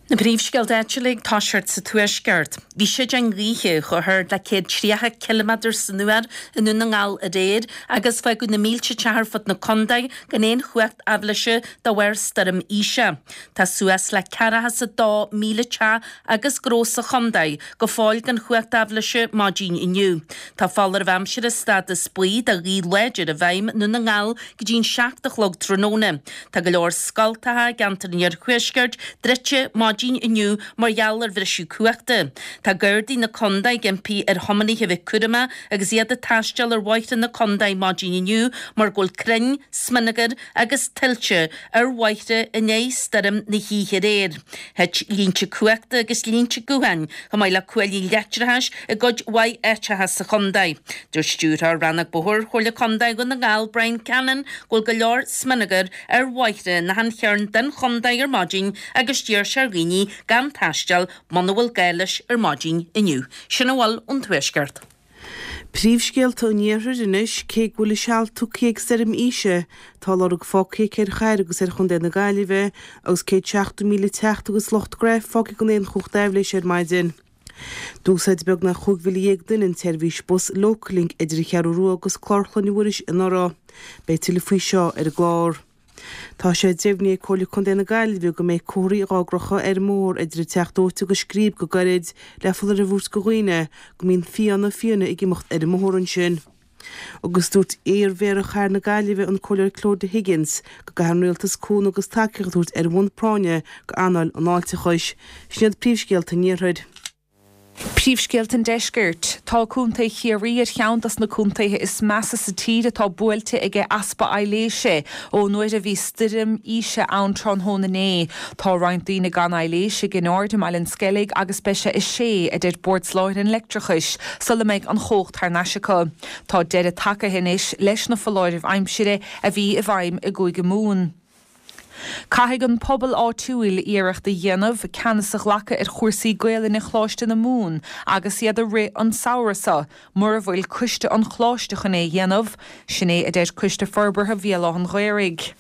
Na príomhscéalta áitiúla ag toiseacht sa Tuaisceart. Bhí séideáin ghaoithe chomh hard le céad tríocha ciliméadar san uair i nDún na nGall aréir agus fágadh na mílte teach ar fud na contae gan aon chumhacht aibhléise de bharr stoirm Isha. Tá suas le ceathracha is a dó míle teach agus gnó sa chontae go fóill gan chumhacht aibhléise maidin inniu. Tá foláireamh aimsire stádas buí do ghaoth láidir i bhfeidhm i nDún na nGall go dtí an seacht a chlog tráthnóna. Tá go leor scoltacha i gceantar an iarthuaiscirt druidte maidin inniu mar gheall ar bhriseadh cumhachta. Tá Gardaí na contae ag impí ar thiománaithe a bheith cúramach agus iad ag taisteal ar bhóithre na contae maidin inniu mar go bhfuil crainn, smionagar agus tuilte ar bhóithre i ndiaidh stoirm na hoíche aréir. Thit línte cumhachta agus línte gutháin chomh maith le cuaillí leictreachais i gcuid mhaith áiteacha sa chontae. Dúirt Stiúrthóir Rannóg Bóthair Chomhairle Contae Dhún na nGall Brian Cannon go bhfuil go leor smionagar ar bhóithre in achan chearn den chontae ar maidin agus d'iarr sé ar dhaoine gan taisteal muna bhfuil gá leis ar maidin inniu. Sin a bhfuil ón Tuaisceart. Príomhscéalta an Iarthair anois, cé go bhfuil a seal tugtha ag stoirm Isha, tá lorg fágtha aici ar chathair agus ar chontae na Gaillimhe agus céad seachtó míle teach agus lucht gnaithe fágtha gan aon chumhacht aibhléise ar maidin. D'úsáid beagnach chúig mhíle dhéag duine an tseirbhís bus Localink idir an Cheathrú Rua agus Clár Chlainne Mhuiris anuraidh. Beidh tuilleadh faoi seo ar an gclár. Tá sé deimhnithe ag Comhairle Contae na Gaillimhe go mbeidh comharthaí dhá gcrochadh ar an mbóthar idir an Teach Dóite agus Scríb go gairid le foláireamh a thabhairt do dhaoine go mbíonn fianna fiáine ag imeacht ar an mbóthar ansin. Agus dúirt iar-Mhéara Chathair na Gaillimhe, an Comhairleoir Clodagh Higgins, go gcaithfidh an Rialtas cúnamh agus tacaíocht a thabhairt ar bhonn práinne go earnáil an fháilteachais. Sin iad príomhscéalta an Iarthair. Príomhscéalta an Deiscirt. Tá Contae Chiarraí ar cheann dos na contaetha is measa sa tír atá buailte ag easpa aibhléise ón uair a bhí stoirm Isha ann tráthnóna inné. Tá roinnt daoine gan aibhléis i gCinn Aird i mBaile an Sceilg agus beidh sé a sé, a deir Bord Soláthair an Leictreachais, sula mbeidh an chumhacht thar n-ais acu. Tá deireadh tagtha anois leis na foláirimh aimsire a bhí i bhfeidhm i gCúige Mumhan. Caithfidh an pobal áitiúil iarracht a dhéanamh ceannas a ghlacadh ar chúrsaí Gaelainne Choláiste na Mumhan agus iad a rith an samhradh seo, mura bhfuil coiste an choláiste chun é a dhéanamh. Sin é a deir Coiste Forbartha Bhéal Átha an Ghaorthaidh.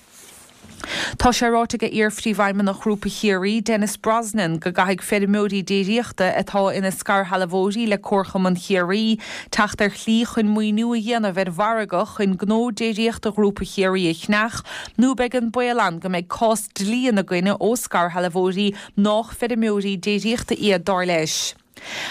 Tá sé ráite ag iar-phríomhfheidhmeannach Ghrúpa Chiarraí, Denis Brosnan, go gcaithfidh feirmeoirí déiríochta atá ina scairshealbhóirí le Comharchumann Chiarraí teacht ar shlí chun maoiniú a dhéanamh ar mhargadh chun gnó déiríochta Ghrúpa Chiarraí a cheannach nó beidh an baol ann go mbeidh cás dlí ina gcoinne ó scairshealbhóirí nách feirmeoirí déiríochta iad, dar leis.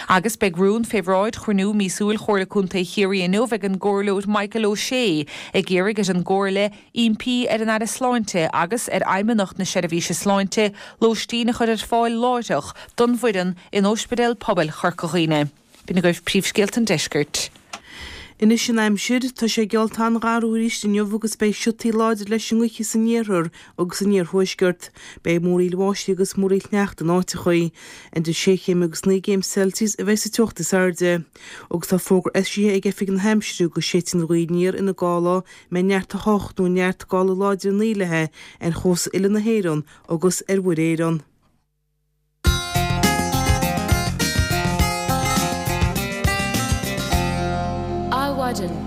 Agus beidh rún fé bhráid chruinniú míosúil Chomhairle Contae Chiarraí inniu ag an gComhairleoir Michael O'Shea ag iarraidh ar an gComhairle impí ar an Aire Sláinte agus ar Fheidhmeannacht na Seirbhíse Sláinte lóistín a chur ar fáil láithreach don bhfoireann in Ospidéal Pobail Chorca Dhuibhne. B'in agaibh príomhscéalta an deiscirt. Anois an aimsir, tá sé geallta an-gharbh arís inniu agus beidh siotaí láidre leis an ngaoth san iarthar agus san iarthuaisceart. Beidh múraíl bháistí agus múraíl shneachta in áiteachaí. Idir sé chéim agus naoi gcéim Celsius a bheidh sa teocht is airde. Agus tá fógra eisithe ag Oifig na hAimsire go séidfidh an ghaoth aniar ina gála a mbeidh neart a hocht nó neart gála láidir a naoi léi ar chósta uile na hÉireann agus ar Mhuir Éireann. Adhmhaidin.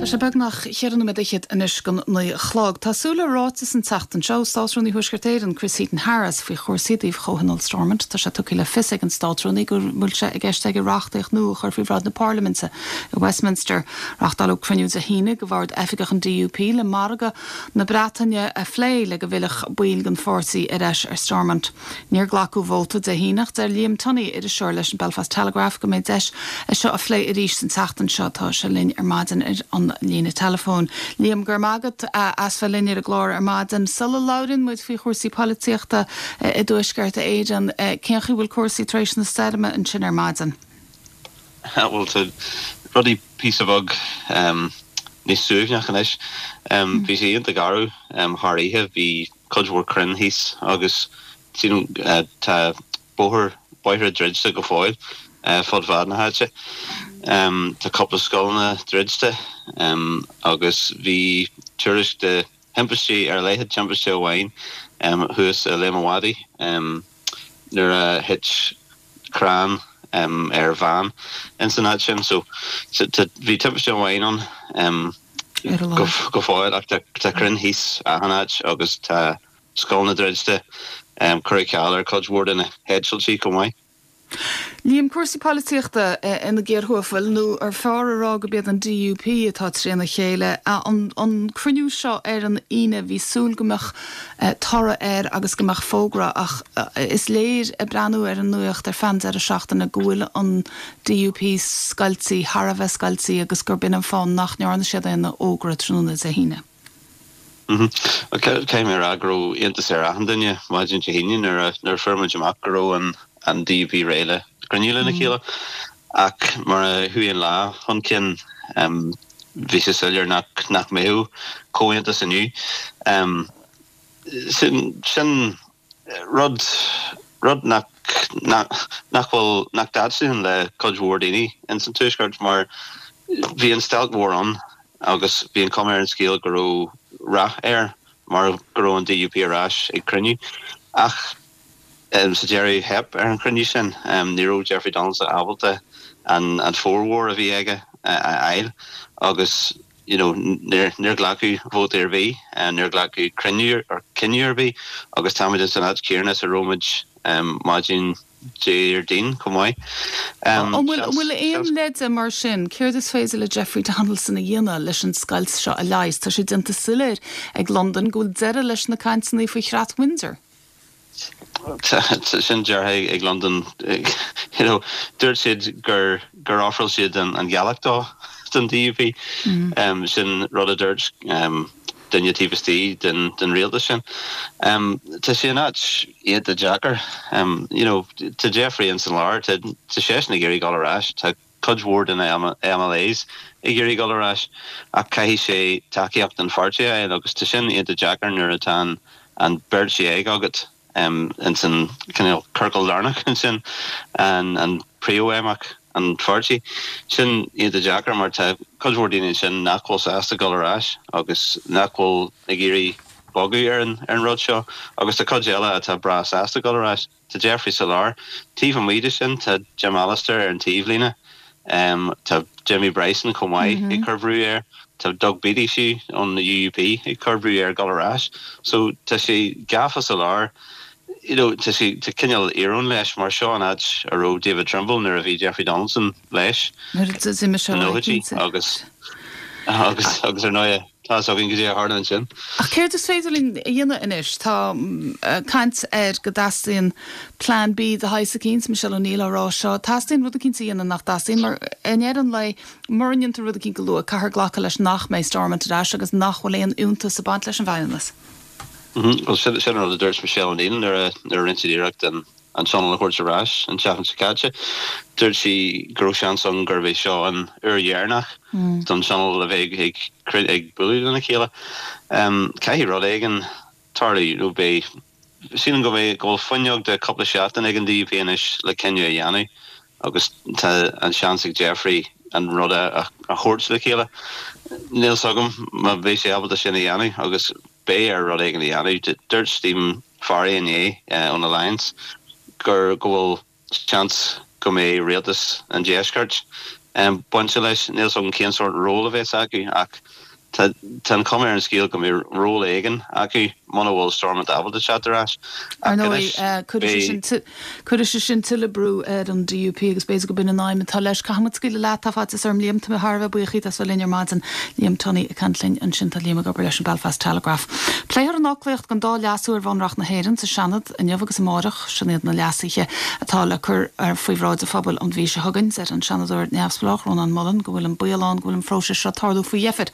Tá sé beagnach cheithre nóiméad fhichead anois don naoi a chlog. Tá súil le ráiteas an tseachtain seo ó Státrúnaí Thuaisceart Éireann, Chris Heaton-Harris, faoi chúrsaí i dtaobh Chomhthionól Stormont. Tá sé tugtha le fios ag an Státrúnaí go bhfuil sé i gceist aige reachtaíocht nua a chur faoi bhráid na Parlaiminte i Westminster. Reáchtáladh cruinniú Dé hAoine de bhord oifigeach an DUP le margadh na Breataine a phlé le go bhfillfeadh baill den pháirtí ar ais ar Stormont. Níor glacadh vóta Dé hAoine ach deir Liam Tunney, iriseoir leis an Belfast Telegraph, go mbeidh deis é seo a phlé arís an tseachtain seo. Tá sé linn ar maidin ar an líne teileafóin. Liam, go raibh maith agat as bheith linn ar an gclár ar maidin. Sula labhraíonn muid faoi chúrsaí polaitíochta i dTuaisceart Éireann, cén chaoi a bhfuil cúrsaí tar éis na stoirme ansin ar maidin? Bhuel, tá rudaí píosa beag níos suaimhneach anois. Bhí sé iontach garbh thar oíche, bhí cuid mhór crainn thíos agus sílim tá bóthar, bóithre druidte go fóill fud fad na háite. Tá cúpla scoileanna druidte agus bhí tuairisc de thimpistí, ar a laghad timpiste amháin thuas i Léim an Mhadaidh nuair a thit crann ar bhean ins an áit sin. So bhí timpiste amháin ann go fóill ach tá crainn thíos achan áit agus tá scoileanna druidte. Cuireadh ceal ar cuid mhór de na heitiltí chomh maith. Liam, cúrsaí polaitíochta ina gcíor thuathail, nó ar fearr a rá gurb iad an DUP atá trína chéile. An cruinniú seo ar an Aoine, bhí súil go mbeadh toradh air agus go mbeadh fógra ach is léir ag breathnú ar an nuacht ar feadh an deireadh seachtaine go bhfuil an DUP scoiltí, thar a bheith scoiltí agus gurb in an fáth nach ndearna siad aon fhógra tráthnóna Dé hAoine. Caithfidh mé a rá go raibh iontas ar achan duine maidin Dé hAoine nuair a nuair a fuair muid amach go raibh an an DUP réidh le cruinniú lena chéile. Ach mar a chuaigh an lá chun cinn bhí sé soiléir nach nach mbeadh comhaontas inniu. Sin sin rud rud nach nach nach bhfuil nach dtaitníonn le cuid mhór daoine ins an Tuaisceart mar bhí an stailc mhór ann agus bhí an chuma ar an scéal go raibh rath air mar go raibh an DUP ar ais ag cruinniú. Ach sa deireadh theip ar an chruinniú sin. Ní raibh Jeffrey Donaldson ábalta an formhór a bhí aige a fháil agus you know níor níor glacadh vóta ar bith, níor glacadh cruinniú or cinneadh ar bith agus táimid ins an áit chéanna is a raibh muid maidin Déardaoin chomh maith. An bhfuil an bhfuil aon leide mar sin? Céard is féidir le Jeffrey Donaldson a dhéanamh leis an scoilt seo a leigheas? Tá sé déanta soiléir ag Londain go bhfuil deireadh leis na cainteanna faoi Chreat Windsor. Sin deartha ag Londain. You know, dúirt siad gur gur ofráil siad an an ghealach dó don DUP. Sin rud a dúirt duine taobh istigh den den rialtas sin. Tá sé in áit iontach deacair. You know, tá Jeffrey ins an lár, tá seisean ag iarraidh dul ar ais, tá cuid mhór de na MLAs ag iarraidh dul ar ais ach caithfidh sé tacaíocht an pháirtí a fháil agus tá sin iontach deacair nuair atá an beirt dhéag agat ins an cineál ciorcal lárnach ansin, an príomhfheidhmeannach an pháirtí. Sin iontach deacair mar tá cuid mhór daoine ansin nach bhfuil sásta dul ar ais agus nach bhfuil ag iarraidh bogadh ar an ar an rud seo agus tá cuid eile atá breá sásta dul ar ais. Tá Jeffrey sa lár. Taobh amuigh de sin tá Jim Allister ar an taobhlíne. Tá Jimmy Bryson chomh maith ag cur brú air. Tá Doug Beattie fiú ón UUP ag cur brú air dul ar ais. So tá sé gafa sa lár. You know, tá sé tá cineál íoróin leis mar seo an áit a raibh David Trimble nuair a bhí Jeffrey Donaldson leis sna nóchaidí agus agus agus ar ndóigh tá a fhios againn goidé a tharla ansin. Ach céard is féidir linn a dhéanamh anois? Tá caint ar go dteastaíonn Plan B de shaghas eicínt, Michelle O'Neill á rá seo. Teastaíonn rud eicínt a dhéanamh nach dteastaíonn mar i ndeireadh an lae mura ndéantar rud eicínt go luath caithfear glacadh leis nach mbeidh Stormont ar ais agus nach bhfuil aon fhiúntas ag baint leis an bhFeidhmeannas. Bhuel sin an rud a dúirt Michelle O'Neill nuair a nuair a rinne siad iarracht an an Tionól a thabhairt ar ais an tseachtain seo caite. Dúirt sí go raibh seans ann gurbh é seo an uair dheireanach don Tionól a bheith ag ag bualadh lena chéile. Caithfidh rud éigin tarlú nó beidh sílim go mbeidh go bhfuil fuinneog de cúpla seachtain ag an DUP anois le cinneadh a dhéanamh agus tá an seans ag Jeffrey an rud a thabhairt le chéile. Níl 's agam má bheidh sé ábalta sin a dhéanamh agus beidh air rud éigin a dhéanamh. Dúirt Stephen Farry inné ón Alliance gur go bhfuil seans go mbeidh rialtas an deiscirt bainte leis. Níl 's agam cén sórt ról a bheas acu ach tá an chuma ar an scéal go mbeidh ról éigin acu muna bhfuil Stormont ábalta teacht ar ais. Ar ndóigh, cuirfidh sé sin tuilleadh brú ar an DUP agus b'fhéidir go b'in an aidhm atá leis. Caithfidh muid scaoileadh leat, tá faitíos orm Liam, tá mé thar a bheith buíoch díot as bheith linn ar maidin. Liam Tunney ag caint linn ansin, tá Liam ag obair leis an Belfast Telegraph. Pléifear an fhoclaíocht don dá leasú ar Bhunreacht na hÉireann sa Seanad inniu agus amárach. Sin iad na leasuithe atá le cur faoi bhráid an phobail an mhí seo chugainn. Deir an Seanadóir neamhspleách Rónán Mullen go bhfuil an baol ann go bhfuil an phróiseas seo ag tarlú faoi dheifir.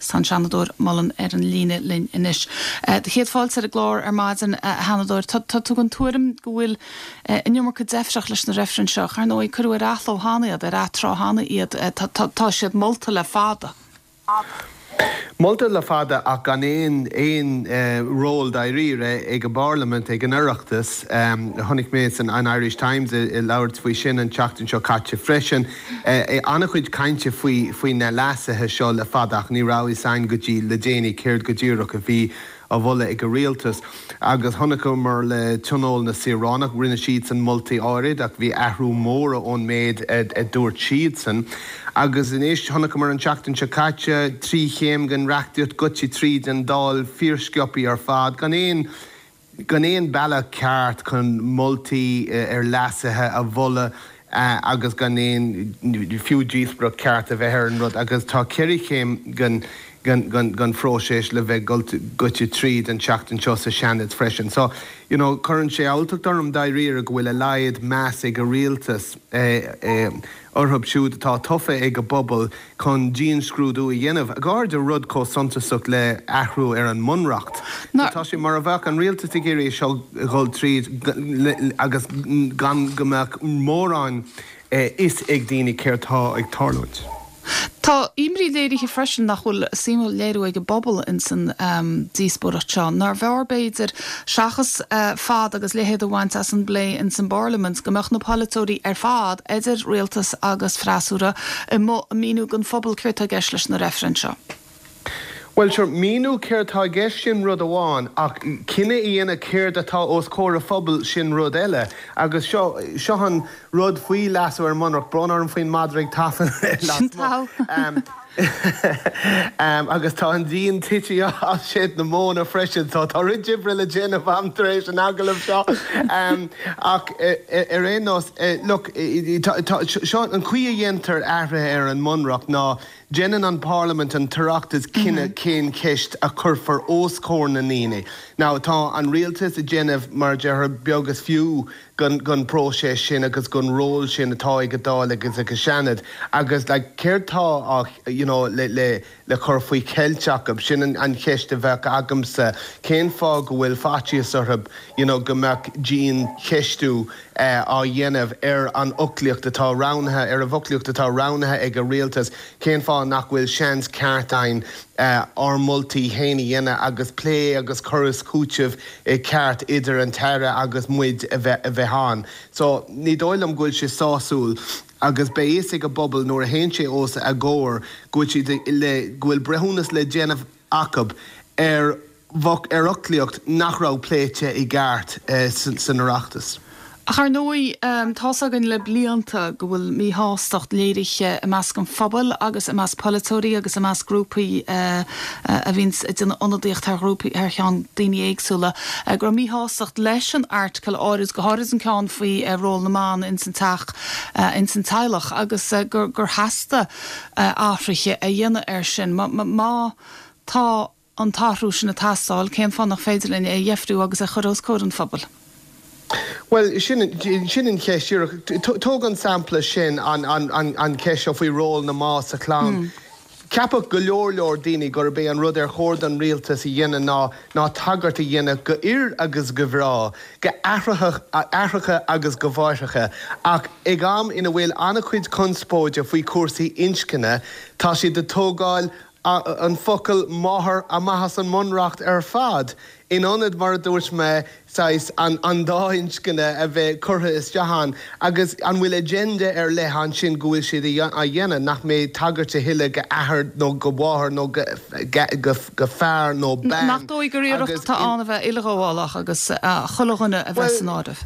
Tá an Seanadóir Mullen ar an líne linn anois. Do chéad fáilte ar an gclár ar maidin, a Sheanadóir. Tá tú den tuairim go bhfuil an iomarca deifreach leis na reifrinn seo. Ar ndóigh, cuireadh ar athló cheana iad, ar atráth cheana iad. Tá siad molta le fada. Molta le fada ach gan aon aon ról dáiríre ag an bParlaimint, ag an Oireachtas. Chonaic mé san an Irish Times ag labhairt faoi sin an tseachtain seo caite freisin. An-chuid cainte faoi faoi na leasuithe seo le fada ach ní raibh fhios againn go dtí le déanaí céard go díreach a bhí á mholadh ag an rialtas. Agus chonaiceamar le Tionól na Saoránach, rinne siadsan moltaí áirid ach bhí athrú mór ón méid a dúirt siadsan. Agus anois, chonaiceamar an tseachtain seo caite, trí chéim den reachtaíocht goite tríd an Dáil fíorsciobtha ar fad, gan aon gan aon bealach ceart chun moltaí ar leasuithe a mholadh agus gan aon fiú díospóireacht ceart a bheith ar an rud. Agus tá ceithre chéim den den phróiseas le bheith goite tríd an tseachtain seo sa Seanad freisin. So, you know, cuireann sé alltacht orm dáiríre go bhfuil a laghad meas ag an rialtas orthu siúd atá tofa ag an bpobal chun dianscrúdú a dhéanamh, go háirithe rud chomh suntasach le athrú ar an mbunreacht. Tá sé mar a bheadh an rialtas ag iarraidh seo a dhul tríd agus gan go mbeadh mórán fhios ag daoine céard tá ag tarlúint. Tá imní léirithe freisin nach bhfuil suim á léiriú ag an bpobal ins an díospóireacht seo. Nárbh fhearr b'fhéidir, seachas fad agus leithead a bhaint as an bplé ins an bParlaimint, go mbeadh na polaiteoirí ar fad, idir rialtas agus freasúra, amuigh ag míniú don phobal céard tá i gceist leis na reifrinn seo? Bhuel, sure, míniú céard tá i gceist sin rud amháin, ach cinneadh a dhéanamh céard atá os comhair an phobail, sin rud eile. Agus seo, seo an rud faoi leasú ar an mBunreacht, brón orm faoin madra ag tafann lasmuigh. Agus tá an díon tite as seid na móna freisin, so tá roinnt oibre le déanamh agam tar éis an agallaimh seo. Ach ar aon nós, look, seo an chaoi a dhéantar athruithe ar an mBunreacht ná, Déanann an Parlaimint, an tOireachtas cinneadh cén cheist a chuirfear os comhair na ndaoine. Now tá an rialtas ag déanamh, mar a déarfá, beag is fiú den den próiseas sin agus den ról sin atá ag an Dáil agus ag an Seanad agus like céard tá á you know le le le cur faoi cheilt acu? Sin an an cheist a bheadh agamsa. Cén fáth go bhfuil faitíos orthu you know go mbeadh diancheistiú á dhéanamh ar an fhoclaíocht atá roghnaithe, ar an bhfoclaíocht atá roghnaithe ag an rialtas? Cén fáth nach bhfuil seans ceart againn ár moltaí féin a dhéanamh agus plé agus cur is cúiteamh ceart idir an tAire agus muid a bheith a bheith ann? So, ní dóigh liom go bhfuil sé sásúil agus beidh fhios ag an bpobal nuair a théann sé os a gcomhair go bhfuil siad le, go bhfuil breithiúnas le déanamh acu ar ar fhoclaíocht nach raibh pléite i gceart san Oireachtas. Ach ar ndóigh, tá's againn le blianta go bhfuil míshástacht léirithe i measc an phobail agus i measc polaiteoirí agus i measc grúpaí a bhíonns ag déanamh ionadaíocht thar ghrúpaí, thar cheann daoine éagsúla, go raibh míshástacht leis an airteagal áirid, go háirid an ceann faoi ról na mban ins an teach, ins an teaghlach agus gur theastaigh athruithe a dhéanamh air sin. Má tá an t-athrú sin ag teastáil, cén fáth nach féidir linn é a dheifriú agus a chur os comhair an phobail? Bhuel, sin, sin an cheist díreach. Tóg an sampla sin, an, an, an, an cheist seo faoi ról na mban sa chlann. Cheapfadh go leor leor daoine gurb é an rud ar chóir don rialtas a dhéanamh ná ná tagairt a dhéanamh go fhir agus go mhná, go aithreacha agus go máithreacha. Ach ag am ina bhfuil an-chuid conspóide faoi chúrsaí inscne, tá siad ag tógáil an focal máthair amach as an mBunreacht ar fad, in ionad, mar a dúirt mé, saghas an dá inscne a bheith curtha isteach ann. Agus an bhfuil agenda ar leith ansin go bhfuil siad á dhéanamh, nach mbeidh tagairt a thuilleadh go athair nó go mháthair nó go fear nó bean? Nach dóigh gur iarracht atá ann a bheith uileghabhálach agus chuile dhuine a bheith san áireamh?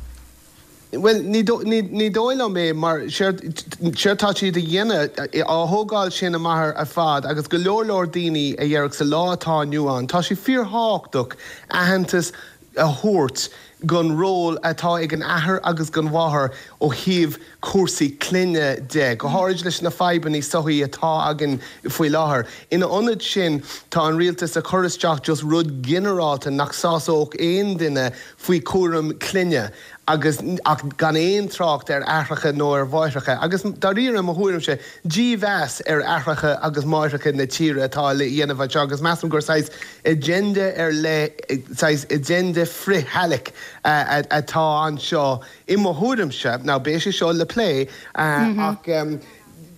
Bhuel, ní dóigh liom é, mar séard tá siad a dhéanamh, á thógáil sin amach ar fad, agus go leor leor daoine a déarfadh sa lá atá inniu ann, tá sé fíorthábhachtach aitheantas a thabhairt don ról atá ag an athair agus gon mháthair ó thaobh cúrsaí clainne de, go háirid leis na fadhbanna sochaí atá againn faoi láthair. Ina ionad sin, tá an rialtas ag cur isteach just rud ginearálta nach sásódh aon duine faoi chúram clainne. agus ach gan aon trácht ar aithreacha nó ar mháithreacha, agus dáiríre, i mo thuairimse, dímheas ar aithreacha agus máithreacha na tíre atá le dhéanamh anseo, agus measaim gur saghas agenda ar leith, saghas agenda frith-theaghlaigh atá anseo, i mo thuairimse. Now, beidh sé seo le plé, ach.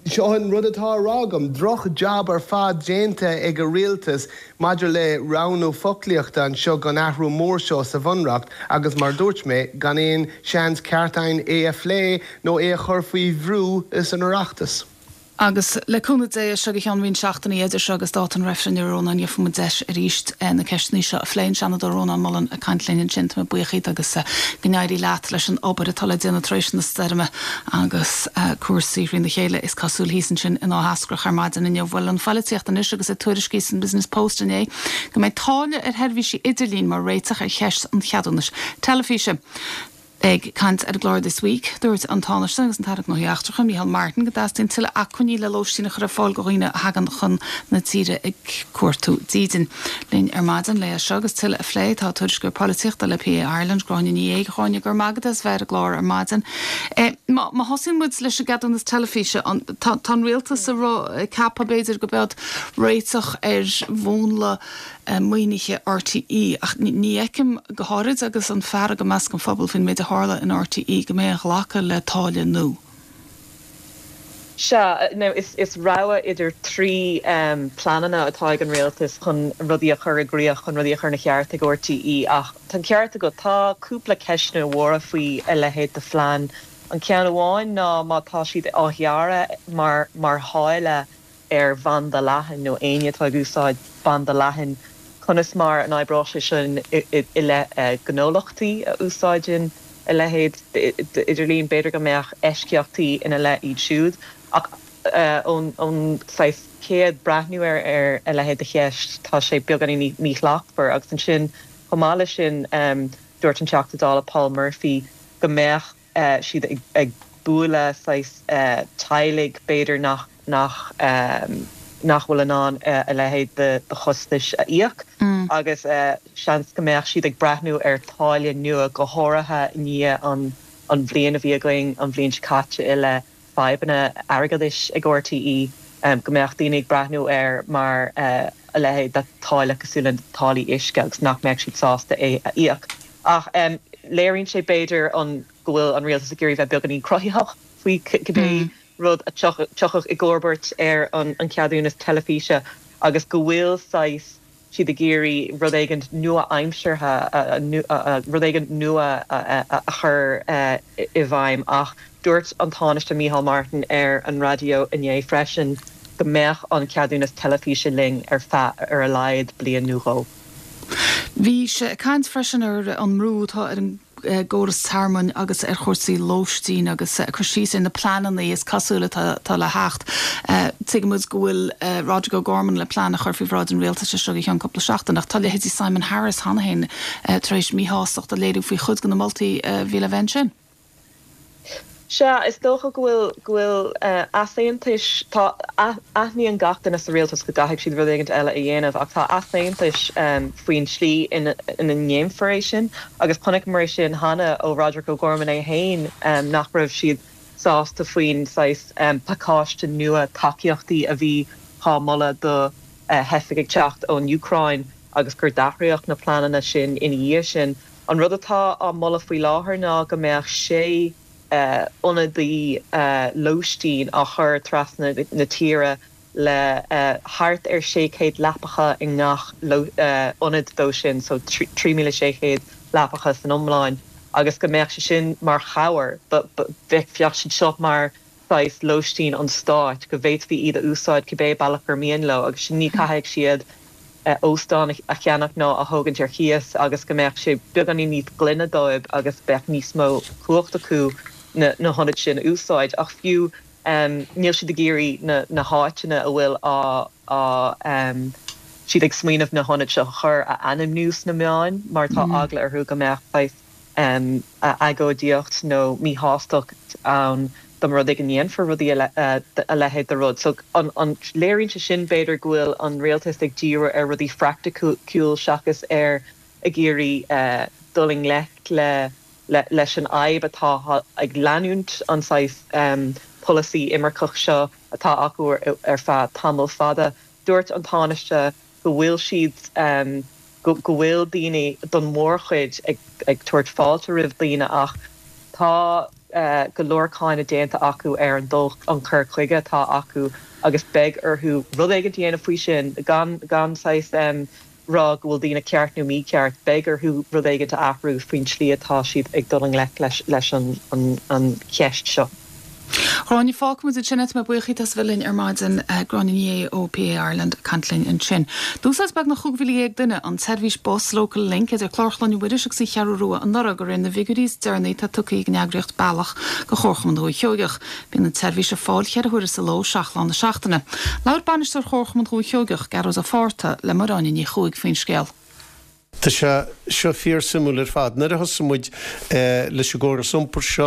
Seo an rud atá á rá agam, droch jab ar fad déanta ag an rialtas maidir le roghnú foclaíochta anseo don athrú mór seo sa Bhunreacht agus mar dúirt mé, gan aon seans ceart againn é a phlé nó é a chur faoi bhrú san Oireachtas. Agus le cúnamh Dé, as seo go ceann roinnt seachtainí idir seo agus dáta an reifrinn, a Rónáin, gheobhaidh muid deis arís na ceisteanna seo a phlé. An Seanadóir Rónán Mullen ag caint linn ansin. Tá mé buíoch díot agus go n-éirí leat leis an obair atá le déanamh tar éis na stoirme agus cúrsaí thrína chéile, is cosúil, thíos ansin in Áth Eascrach ar maidin inniu. Bhuel, an pholaitíocht anois agus ag tuairiscí san Business Post inné go mbeidh táille ar sheirbhísí idirlín mar réiteach ar cheist an cheadúnais teilifíse. Ag caint ar an gclár This Week, dúirt an Tánaiste agus an tAire Gnóthaí Eachtracha, Micheál Martin, go dteastaíonn tuilleadh acmhainní le lóistín a chur ar fáil do dhaoine a thagann chun na tíre ag cuartú dídin. Linn ar maidin le é seo agus tuilleadh a phlé tá tuairisceoir polaitíochta le PA Ireland, Gráinne Ní Aodha. A Ghráinne, go raibh maith agat as bheith ar an gclár ar maidin. Má thosaíonn muid leis an gceadúnas teilifíse, tá an rialtas ag ceapadh b'fhéidir go bead réiteach ar mhúnla maoinithe RTÉ ach ní fheicim, go háirid agus an fearg i measc an phobail faoin méid a tharla in RTÉ, go mbeidh aon ghlacadh le táille nua. Sea, now is is rogha idir trí pleananna atá ag an rialtas chun rudaí a chur i gcrích, chun rudaí a chur ina cheart ag RTÉ ach tá an ceart agat, tá cúpla ceisteanna mhóra faoi a leithéid de phlean. An ceann amháin ná má tá siad á ghearradh mar mar tháille ar bhanda leathan nó éinne atá ag úsáid banda leathan, conas mar an oibreoidh sé sin i leith gnólachtaí a úsáideann a leithéid d'idirlíon? B'fhéidir go mbeadh eisceachtaí ina leith iad siúd ach ón saghas chéad breathnú ar a leithéid de cheist tá sé beagáinín míshlachtmhar. Agus ansin chomh maith leis sin dúirt an Teachta Dála Paul Murphy go mbeadh siad ag bualadh saghas teaghlaigh b'fhéidir nach nach nach bhfuil in ann a leithéid de chostais a íoc agus seans go mbeadh siad ag breathnú ar táille nua, go háirithe i ndiaidh an an bhliain a bhí againn an bhliain seo caite i leith fadhbanna airgeadais ag RTÉ, go mbeadh daoine ag breathnú air mar a leithéid de táille cosúil le táillí uisce agus nach mbeadh siad sásta é a íoc. Ach léiríonn sé b'fhéidir an go bhfuil an rialtas ag iarraidh bheith beagáinín cruthaitheach faoi cibé rud a tiocfadh i gcomharbacht ar an cheadúnas teilifíse agus go bhfuil saghas siad ag iarraidh rud éigin nua-aimseartha, rud éigin nua a chur i bhfeidhm. Ach dúirt an Tánaiste Micheál Martin ar an raidió inné freisin go mbeadh an ceadúnas teilifíse linn ar feadh ar a laghad bliain nó dhó. Bhí sé ag caint freisin ar an mbrú atá ar an gcóras tearmainn agus ar chúrsaí lóistín agus ag cur síos ar na pleananna is cosúil atá le theacht. Tuigimid go bhfuil Roderic O'Gorman le plean a chur faoi bhráid an rialtais seo go ceann cúpla seachtain ach tá leithéidí Simon Harris cheana féin tar éis míshástacht a léiriú faoi chuid de na moltaí a bhí le bheith ansin. Sea, is dócha go bhfuil, go bhfuil easaontais, tá, aithníonn gach duine sa rialtas go gcaithfidh siad rud éigin eile a dhéanamh ach tá easaontais faoin tslí ina ndéanfar é sin agus chonaiceamar é sin cheana ó Roderic O'Gorman é féin nach raibh siad sásta faoin saghas pacáiste nua tacaíochtaí a bhí á moladh do theifigh ag teacht ón Úcráin agus gur d'athraíodh na pleananna sin ina dhiaidh sin. An rud atá á moladh faoi láthair ná go mbeadh sé ionadaí lóistín á chur trasna na tíre le thart ar sé chéad leapacha i ngach ionad dó sin, so trí míle sé chéad leapacha san iomlán, agus go mbeadh sé sin mar chabhair, bheadh siad seo mar saghas lóistín an stáit, go bhféadfaí iad a úsáid cibé bealach gur mian leo agus sin ní caithfidh siad óstán a cheannach ná a thógaint ar chíos agus go mbeadh sé beagáinín níos glaine dóibh agus beadh níos mó cumhacht acu na hionaid sin a úsáid. Ach fiú níl siad ag iarraidh na háiteanna a bhfuil á siad ag smaoineamh na hionaid seo a chur a ainmniú sna meáin mar tá eagla orthu go mbeadh saghas agóidíocht nó míshástacht ann dá mba rud é go ndéanfar rudaí a leithéid de rud. So an léiríonn sé sin b'fhéidir go bhfuil an rialtas ag díriú ar rudaí phraiticiúil seachas ar ag iarraidh dul i ngleic le leis an fhadhb atá ag leanúint an saghas polasaí imirceach seo atá acu ar feadh tamall fada. Dúirt an Tánaiste go bhfuil siad go bhfuil daoine don mhórchuid ag tabhairt fáilte roimh daoine ach tá go leor cáineadh déanta acu ar an dul an cur chuige atá acu agus beidh orthu rud éigin a dhéanamh faoi sin gan gan saghas rá go bhfuil daoine ceart nó mícheart, beidh orthu rud éigin a athrú faoin tslí atá siad ag dul i ngleic leis leis an an cheist seo. Gráinne, fágfaimid ansin é. Tá mé buíoch díot as a bheith linn ar maidin. Gráinne Ní Aodha ó PA Ireland ag caint linn ansin. D'úsáid beagnach chúig mhíle dhéag duine an tseirbhís bus Local Link idir Clár Chlainne Mhuiris agus an Cheathrú Rua anuraidh, de réir na bhfigiúirí is deireanaí atá tugtha ag an eagraíocht Bealach do Chomharchumann Dhúiche Sheoigeach. Bíonn an tseirbhís ar fáil ceithre huaire sa ló, seacht lá na seachtaine. Labhair Bainisteoir Chomharchumann Dhúiche Sheoigeach, Gearóid Ó Fátharta, le Máire Áine Ní Chuaig faoin scéal. Tá sé seo fíor-suimiúil ar fad. Nuair a thosaigh muid leis an gcóras iompair seo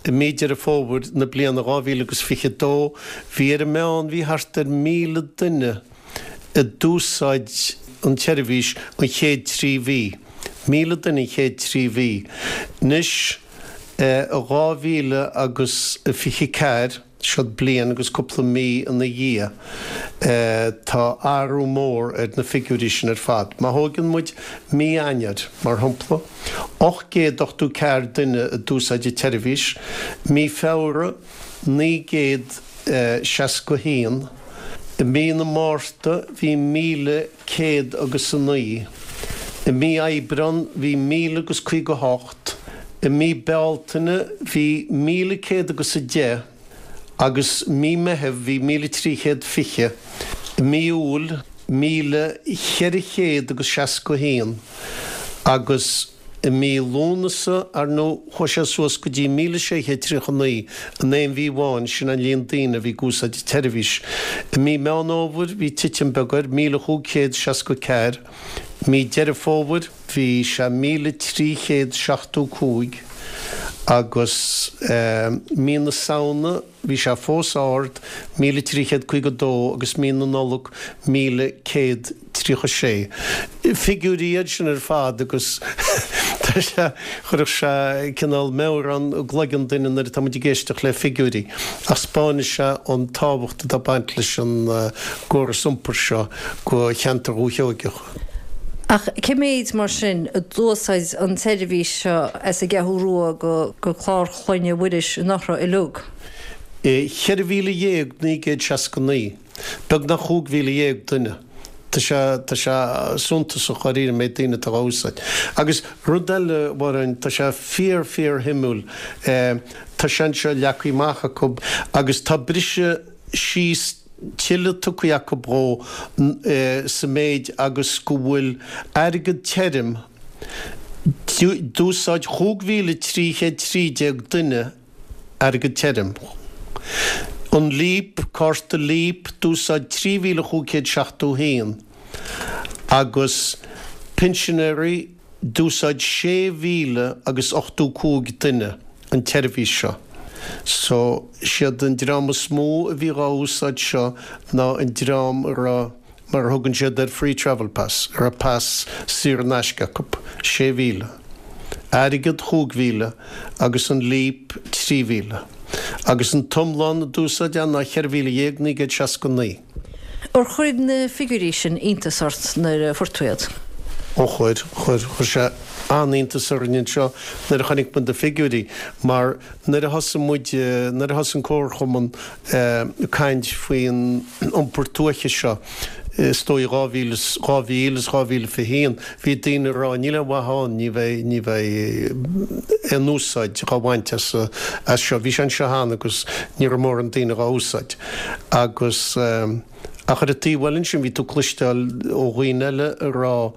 i mí Deireadh Fómhair na bliana dhá mhíle agus fiche dó, bhí ar an meán, bhí thart ar míle duine a d'úsáid an tseirbhís an chéad trí mhí. Míle duine an chéad trí mhí. Anois, i dhá mhíle agus fiche ceathair, Siod bliain agus cúpla mí ina dhiaidh. Tá athrú mór ar na figiúirí sin ar fad. Má thóigeann muid mí Eanáir, mar shampla, ocht gcéad ochtó ceathair duine a d'úsáid an tseirbhís, mí Feabhra, naoi gcéad seasca haon, i mí na Márta bhí míle céad agus a naoi, i mí Aibreán bhí míle agus caoga hocht, I mí Bealtaine bhí míle céad agus a deich agus mí Meitheamh bhí míle trí chéad fiche. I mí Iúil míle cheithre chéad agus seasca haon agus i mí Lúnasa, ar ndóigh, chuaigh sé suas go dtí míle sé chéad tríocha naoi in aon mhí amháin, sin an líon daoine a bhí ag úsáid an tseirbhís. I mí Meán Fhómhair bhí titim beag air, míle chúig chéad seasca ceathair. Mí Deireadh Fómhair bhí sé míle trí chéad seachtó cúig Agus mí na Samhna bhí sé fós ard, míle trí chéad caoga dó, agus mí na Nollag míle céad tríocha sé. Figiúirí iad sin ar fad agus tá sé, chuirfeadh sé cineál meabhrán i gcloigeann duine nuair atá muid ag éisteacht le figiúirí. Ach 'spáineann sé an tábhacht atá ag baint leis an gcóras iompair seo go cheantar Dhúiche Sheoigeach. Ach cé méid, mar sin, a d'úsáid an tseirbhís seo as an gCeathrú Rua go Clár Chlainne Mhuiris in Othra uilig? Ceithre mhíle dhéag naoi gcéad seasca naoi. Beagnach chúig mhíle dhéag duine. Tá sé, tá sé suntasach dháiríre an méid daoine atá á úsáid. Agus rud eile, a Mháirín, tá sé fíor, fíor shuimiúil. Tá sé anseo leagtha amach acu agus tá briseadh síos tuilleadh tugtha acu dhó sa méid agus go bhfuil airgead tirim, d'úsáid chúig mhíle trí chéad trí déag duine airgead tirim. An Leap, cárta Leap, d'úsáid trí mhíle chúig chéad seachtó haon agus pinsinéirí, D'úsáid sé mhíle agus ochtó cúig duine an tseirbhís seo. So, siad an dream is mó a bhí dhá úsáid seo ná an dream a raibh, mar a thugann siad air, free travel pass, a raibh pas saor in aisce acu, sé mhíle. Airgead, chúig mhíle, agus an Leap, trí mhíle. Agus an t-iomlán a d'úsáid é ná cheithre mhíle dhéag naoi gcéad seasca naoi. Ar chuir na figiúirí sin iontas ort nuair a fuair tú iad? Ó chuir, chuir, chuir sé an-iontas orainn anseo nuair a chonaic muid na figiúirí mar nuair a thosaigh muid, nuair a thosaigh an Comharchumann ag caint faoin iompar tuaithe seo, is dóigh dhá mhíle is, dhá mhíle is dhá mhíle fiche haon, bhí daoine ag rá níl aon mhaith ann, ní bheidh, ní bheidh aon úsáid dhá bhaint as, as seo. Bhí sé anseo cheana agus ní raibh mórán daoine dhá úsáid agus. Ach ar an taobh eile ansin, bhí tú ag cloisteáil ó dhaoine eile ag rá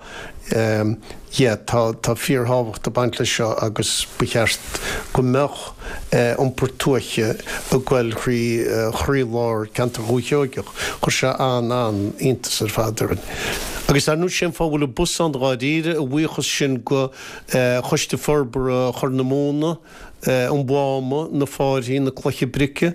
yeah, tá, tá fíorthábhacht ag baint leis seo agus ba cheart go mbeadh iompar tuaithe ag goil thrí chroílár ceantar Dhúiche Sheoigeach. Chuir sé an-an-iontas ar fad orainn. Agus ar ndóigh, sé an fáth a bhfuil an bus ann dháiríre, a bhuíochas sin go Choiste Forbartha Chorr na Móna, an Mháma, na Fáirthí, na Cloiche Brice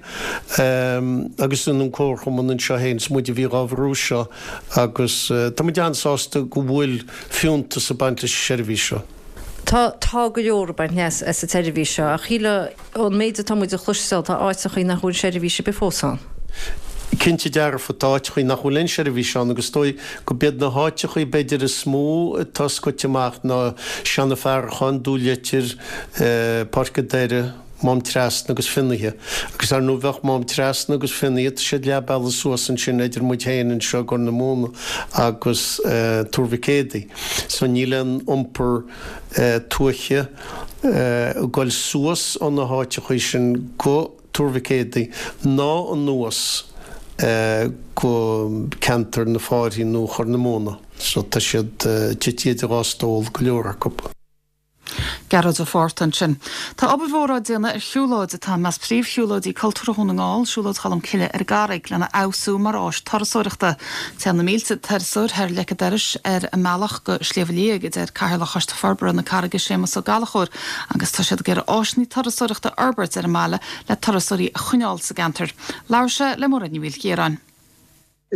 agus an Comharchumann anseo féin, is muid a bhí dhá bhrú seo agus tá muid an-sásta go bhfuil fiúntas ag baint leis an seirbhís seo. Tá, tá go leor ag baint leas as an tseirbhís seo ach shílfeá ón méid atá muid a chloisteáil tá áiteachaí nach bhfuil seirbhís ar bith fós ann. Cinnte dearfa, tá áiteachaí nach bhfuil aon seirbhís ann agus is dóigh go b'iad na háiteachaí b'fhéidir is mó atá scoite amach ná Seanadh Farracháin, Dún Leitir, Páirc an Doire, Mám Trasna agus Finnaithe. Agus ar ndóigh bheadh Mám Trasna agus Finnaithe, tá siad leath bealaigh suas ansin idir muid féin anseo i gCorr na Móna agus Tuar Mhic Éadaigh. So níl aon iompar tuaithe ag goil suas ó na háiteachaí sin go Tuar Mhic Éadaigh ná anuas go ceantar na Fáirthí nó Chorr na Móna. So tá siad tite idir dhá stól, go leor acu. Gearóid Ó Fátharta ansin. Tá obair mhór á déanamh ar shiúlóid atá i measc príomhshiúlóidí cultúrtha Dhún na nGall, Siúlóid Cholm Cille ar an gCarraig, lena fheabhsú mar áis turasóireachta. Téann na mílte turasóir thar leic an dorais ar a mbealach go Sliabh Liag, a deir Cathaoirleach Choiste Forbartha na Carraige Séamus Ó Gallchóir, agus tá siad ag iarraidh áiseanna turasóireachta a fhorbairt ar an mbaile le turasóirí a choinneáil sa gceantar. Labhair sé le Máiréad Ní Mhaoilchiaráin.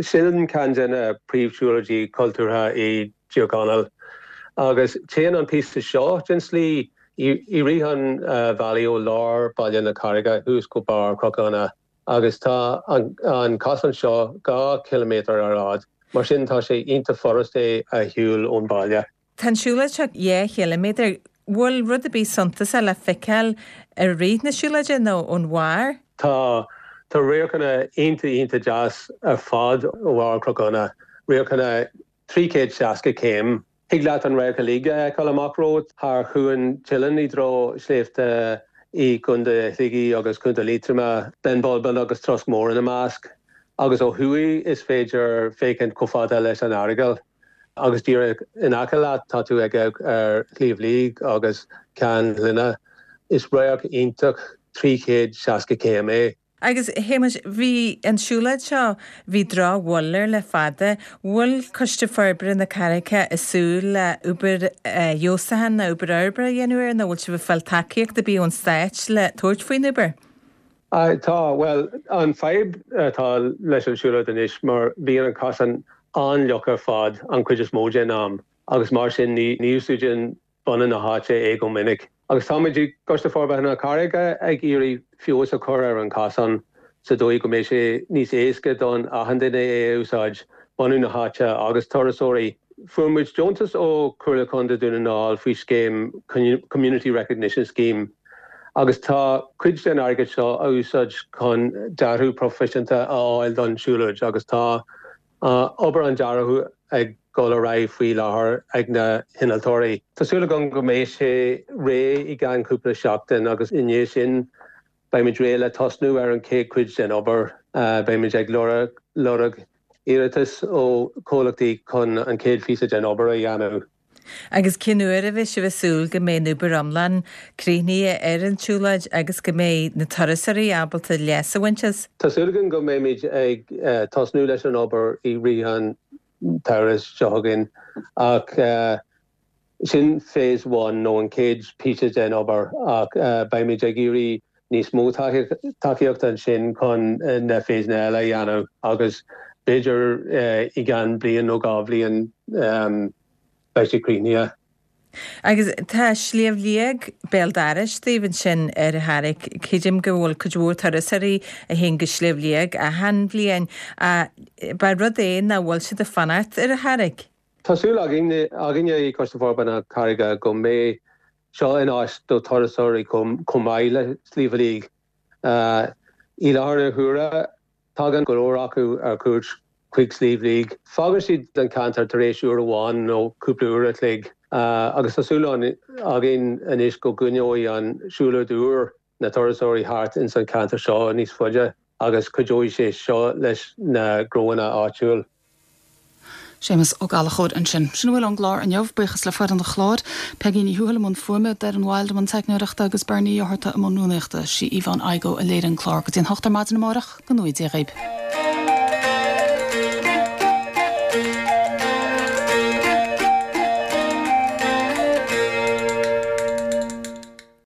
Sin ceann de na príomhshiúlóidí cultúrtha i dTír Chonaill agus téann an píosa seo den tslí i rith an bhealaigh ó lár Baile na Carraige thuas go barr Chnoc Fhiona agus tá an cosán seo dhá chiliméadar ar fhad, mar sin tá sé iontach furast é a shiúl ón baile. Tá an siúlóid seo dhá chiliméadar. Bhfuil rud ar bith suntasach le feiceáil i rith na siúlóide nó ón bharr? Tá. Tá radharcanna iontach iontach deas ar fad ó bharr Chnoc Fhiona. Radharcanna trí chéad seasca céim. Thig leat an radharc uilig a fheiceáil amach romhat thar Chuan Teileann i dtreo sléibhte i gContae Shligigh agus Contae Liatroma, Binn Bulbin agus Trosc Mór ina measc. Agus ó thuaidh is féidir féachaint chomh fada leis an Earagail. Agus díreach in aice leat tá tú ag amharc ar Shliabh Liag agus Ceann Fhliodhna. Is radharc iontach trí chéad seasca céim é. Agus a Shéamais, bhí an siúlóid seo, bhí drochbhail air le fada. Bhfuil Coiste Forbartha na Carraice ag súil le obair fheabhsúcháin nó obair fhorbartha a dhéanamh air nó bhfuil sibh ag fáil tacaíocht ar bith ón Stát le tabhairt faoin obair? Tá, bhuel, an fadhb atá leis an siúlóid anois mar bíonn an cosán an-fhliuch ar fad an chuid is mó den am agus mar sin ní úsáideann bunadh na háite é go minic. Agus táimid i gCoiste Forbartha na Carraige ag iarraidh feabhas a chur ar an chosán sa dóigh go mbeidh sé níos éasca don achan duine é a úsáid, bunadh na háite agus turasóirí. Fuair muid deontas ó Chomhairle Contae Dún na nGall faoi scéim Community Recognition Scheme agus tá cuid den airgead seo á úsáid chun dearadh proifisiúnta a fháil don siúlóid agus tá obair an dearaidh ag dul ar aghaidh faoi láthair ag na hinnealtóirí. Tá súil agam go mbeidh sé réidh i gceann cúpla seachtain agus i ndiaidh sin beimid réidh le tosnú ar an chéad chuid den obair. Beimid ag lorg iarratas ó chomhlachtaí chun an chéad phíosa den obair a dhéanamh. Agus cén uair a bheidh sibh ag súil go mbeidh an obair iomlán críochnaithe ar an tsiúlóid agus go mbeidh na turasóirí ábalta leas a bhaint as? Tá súil againn go mbeimid ag tosnú leis an obair i rith an tsamhraidh seo chugainn ach sin phase one nó an chéad phíosa den obair ach beimid ag iarraidh níos mó tacaíochta ansin chun na phaseanna eile a dhéanamh agus b'fhéidir i gceann bliain nó dhá bhliain beidh sé críochnaithe. Agus tá Sliabh Liag béal dorais daoibh ansin ar an Charraig. Creidim go bhfuil cuid mhór turasóirí a théann go Sliabh Liag achan bhliain. Ab é rud é nach bhfuil siad ag fanacht ar an Charraig? Tá súil againne i gCoiste Forbartha na Carraige go mbeidh seo in áis do turasóirí chomh maith le Sliabh Liag. I láthair na huaire, Tagann go leor acu ar cuairt chuig Sliabh Liag. Fágann siad an ceantar tar éis uair amháin nó cúpla uair a chloig agus tá súil againn anois go gcoinneoidh an siúlóid úr na turasóirí thart ins an ceantar seo níos faide agus cuideoidh sé seo leis na gnóanna áitiúil. Séamus Ó Gallchóir ansin. Sin a bhfuil ón gclár inniu. Buíochas le foireann an chláir, Peigí Ní Thuathail i mbun fuaime, Doireann Wilde i mbun teicneoireachta agus Bernie Ó hEarta i mbun rúnaíochta. Sí Yvonne Igoe a léirigh an clár. Go dtí an hocht ar maidin amárach, go ngnóthaí Dia dhaoib.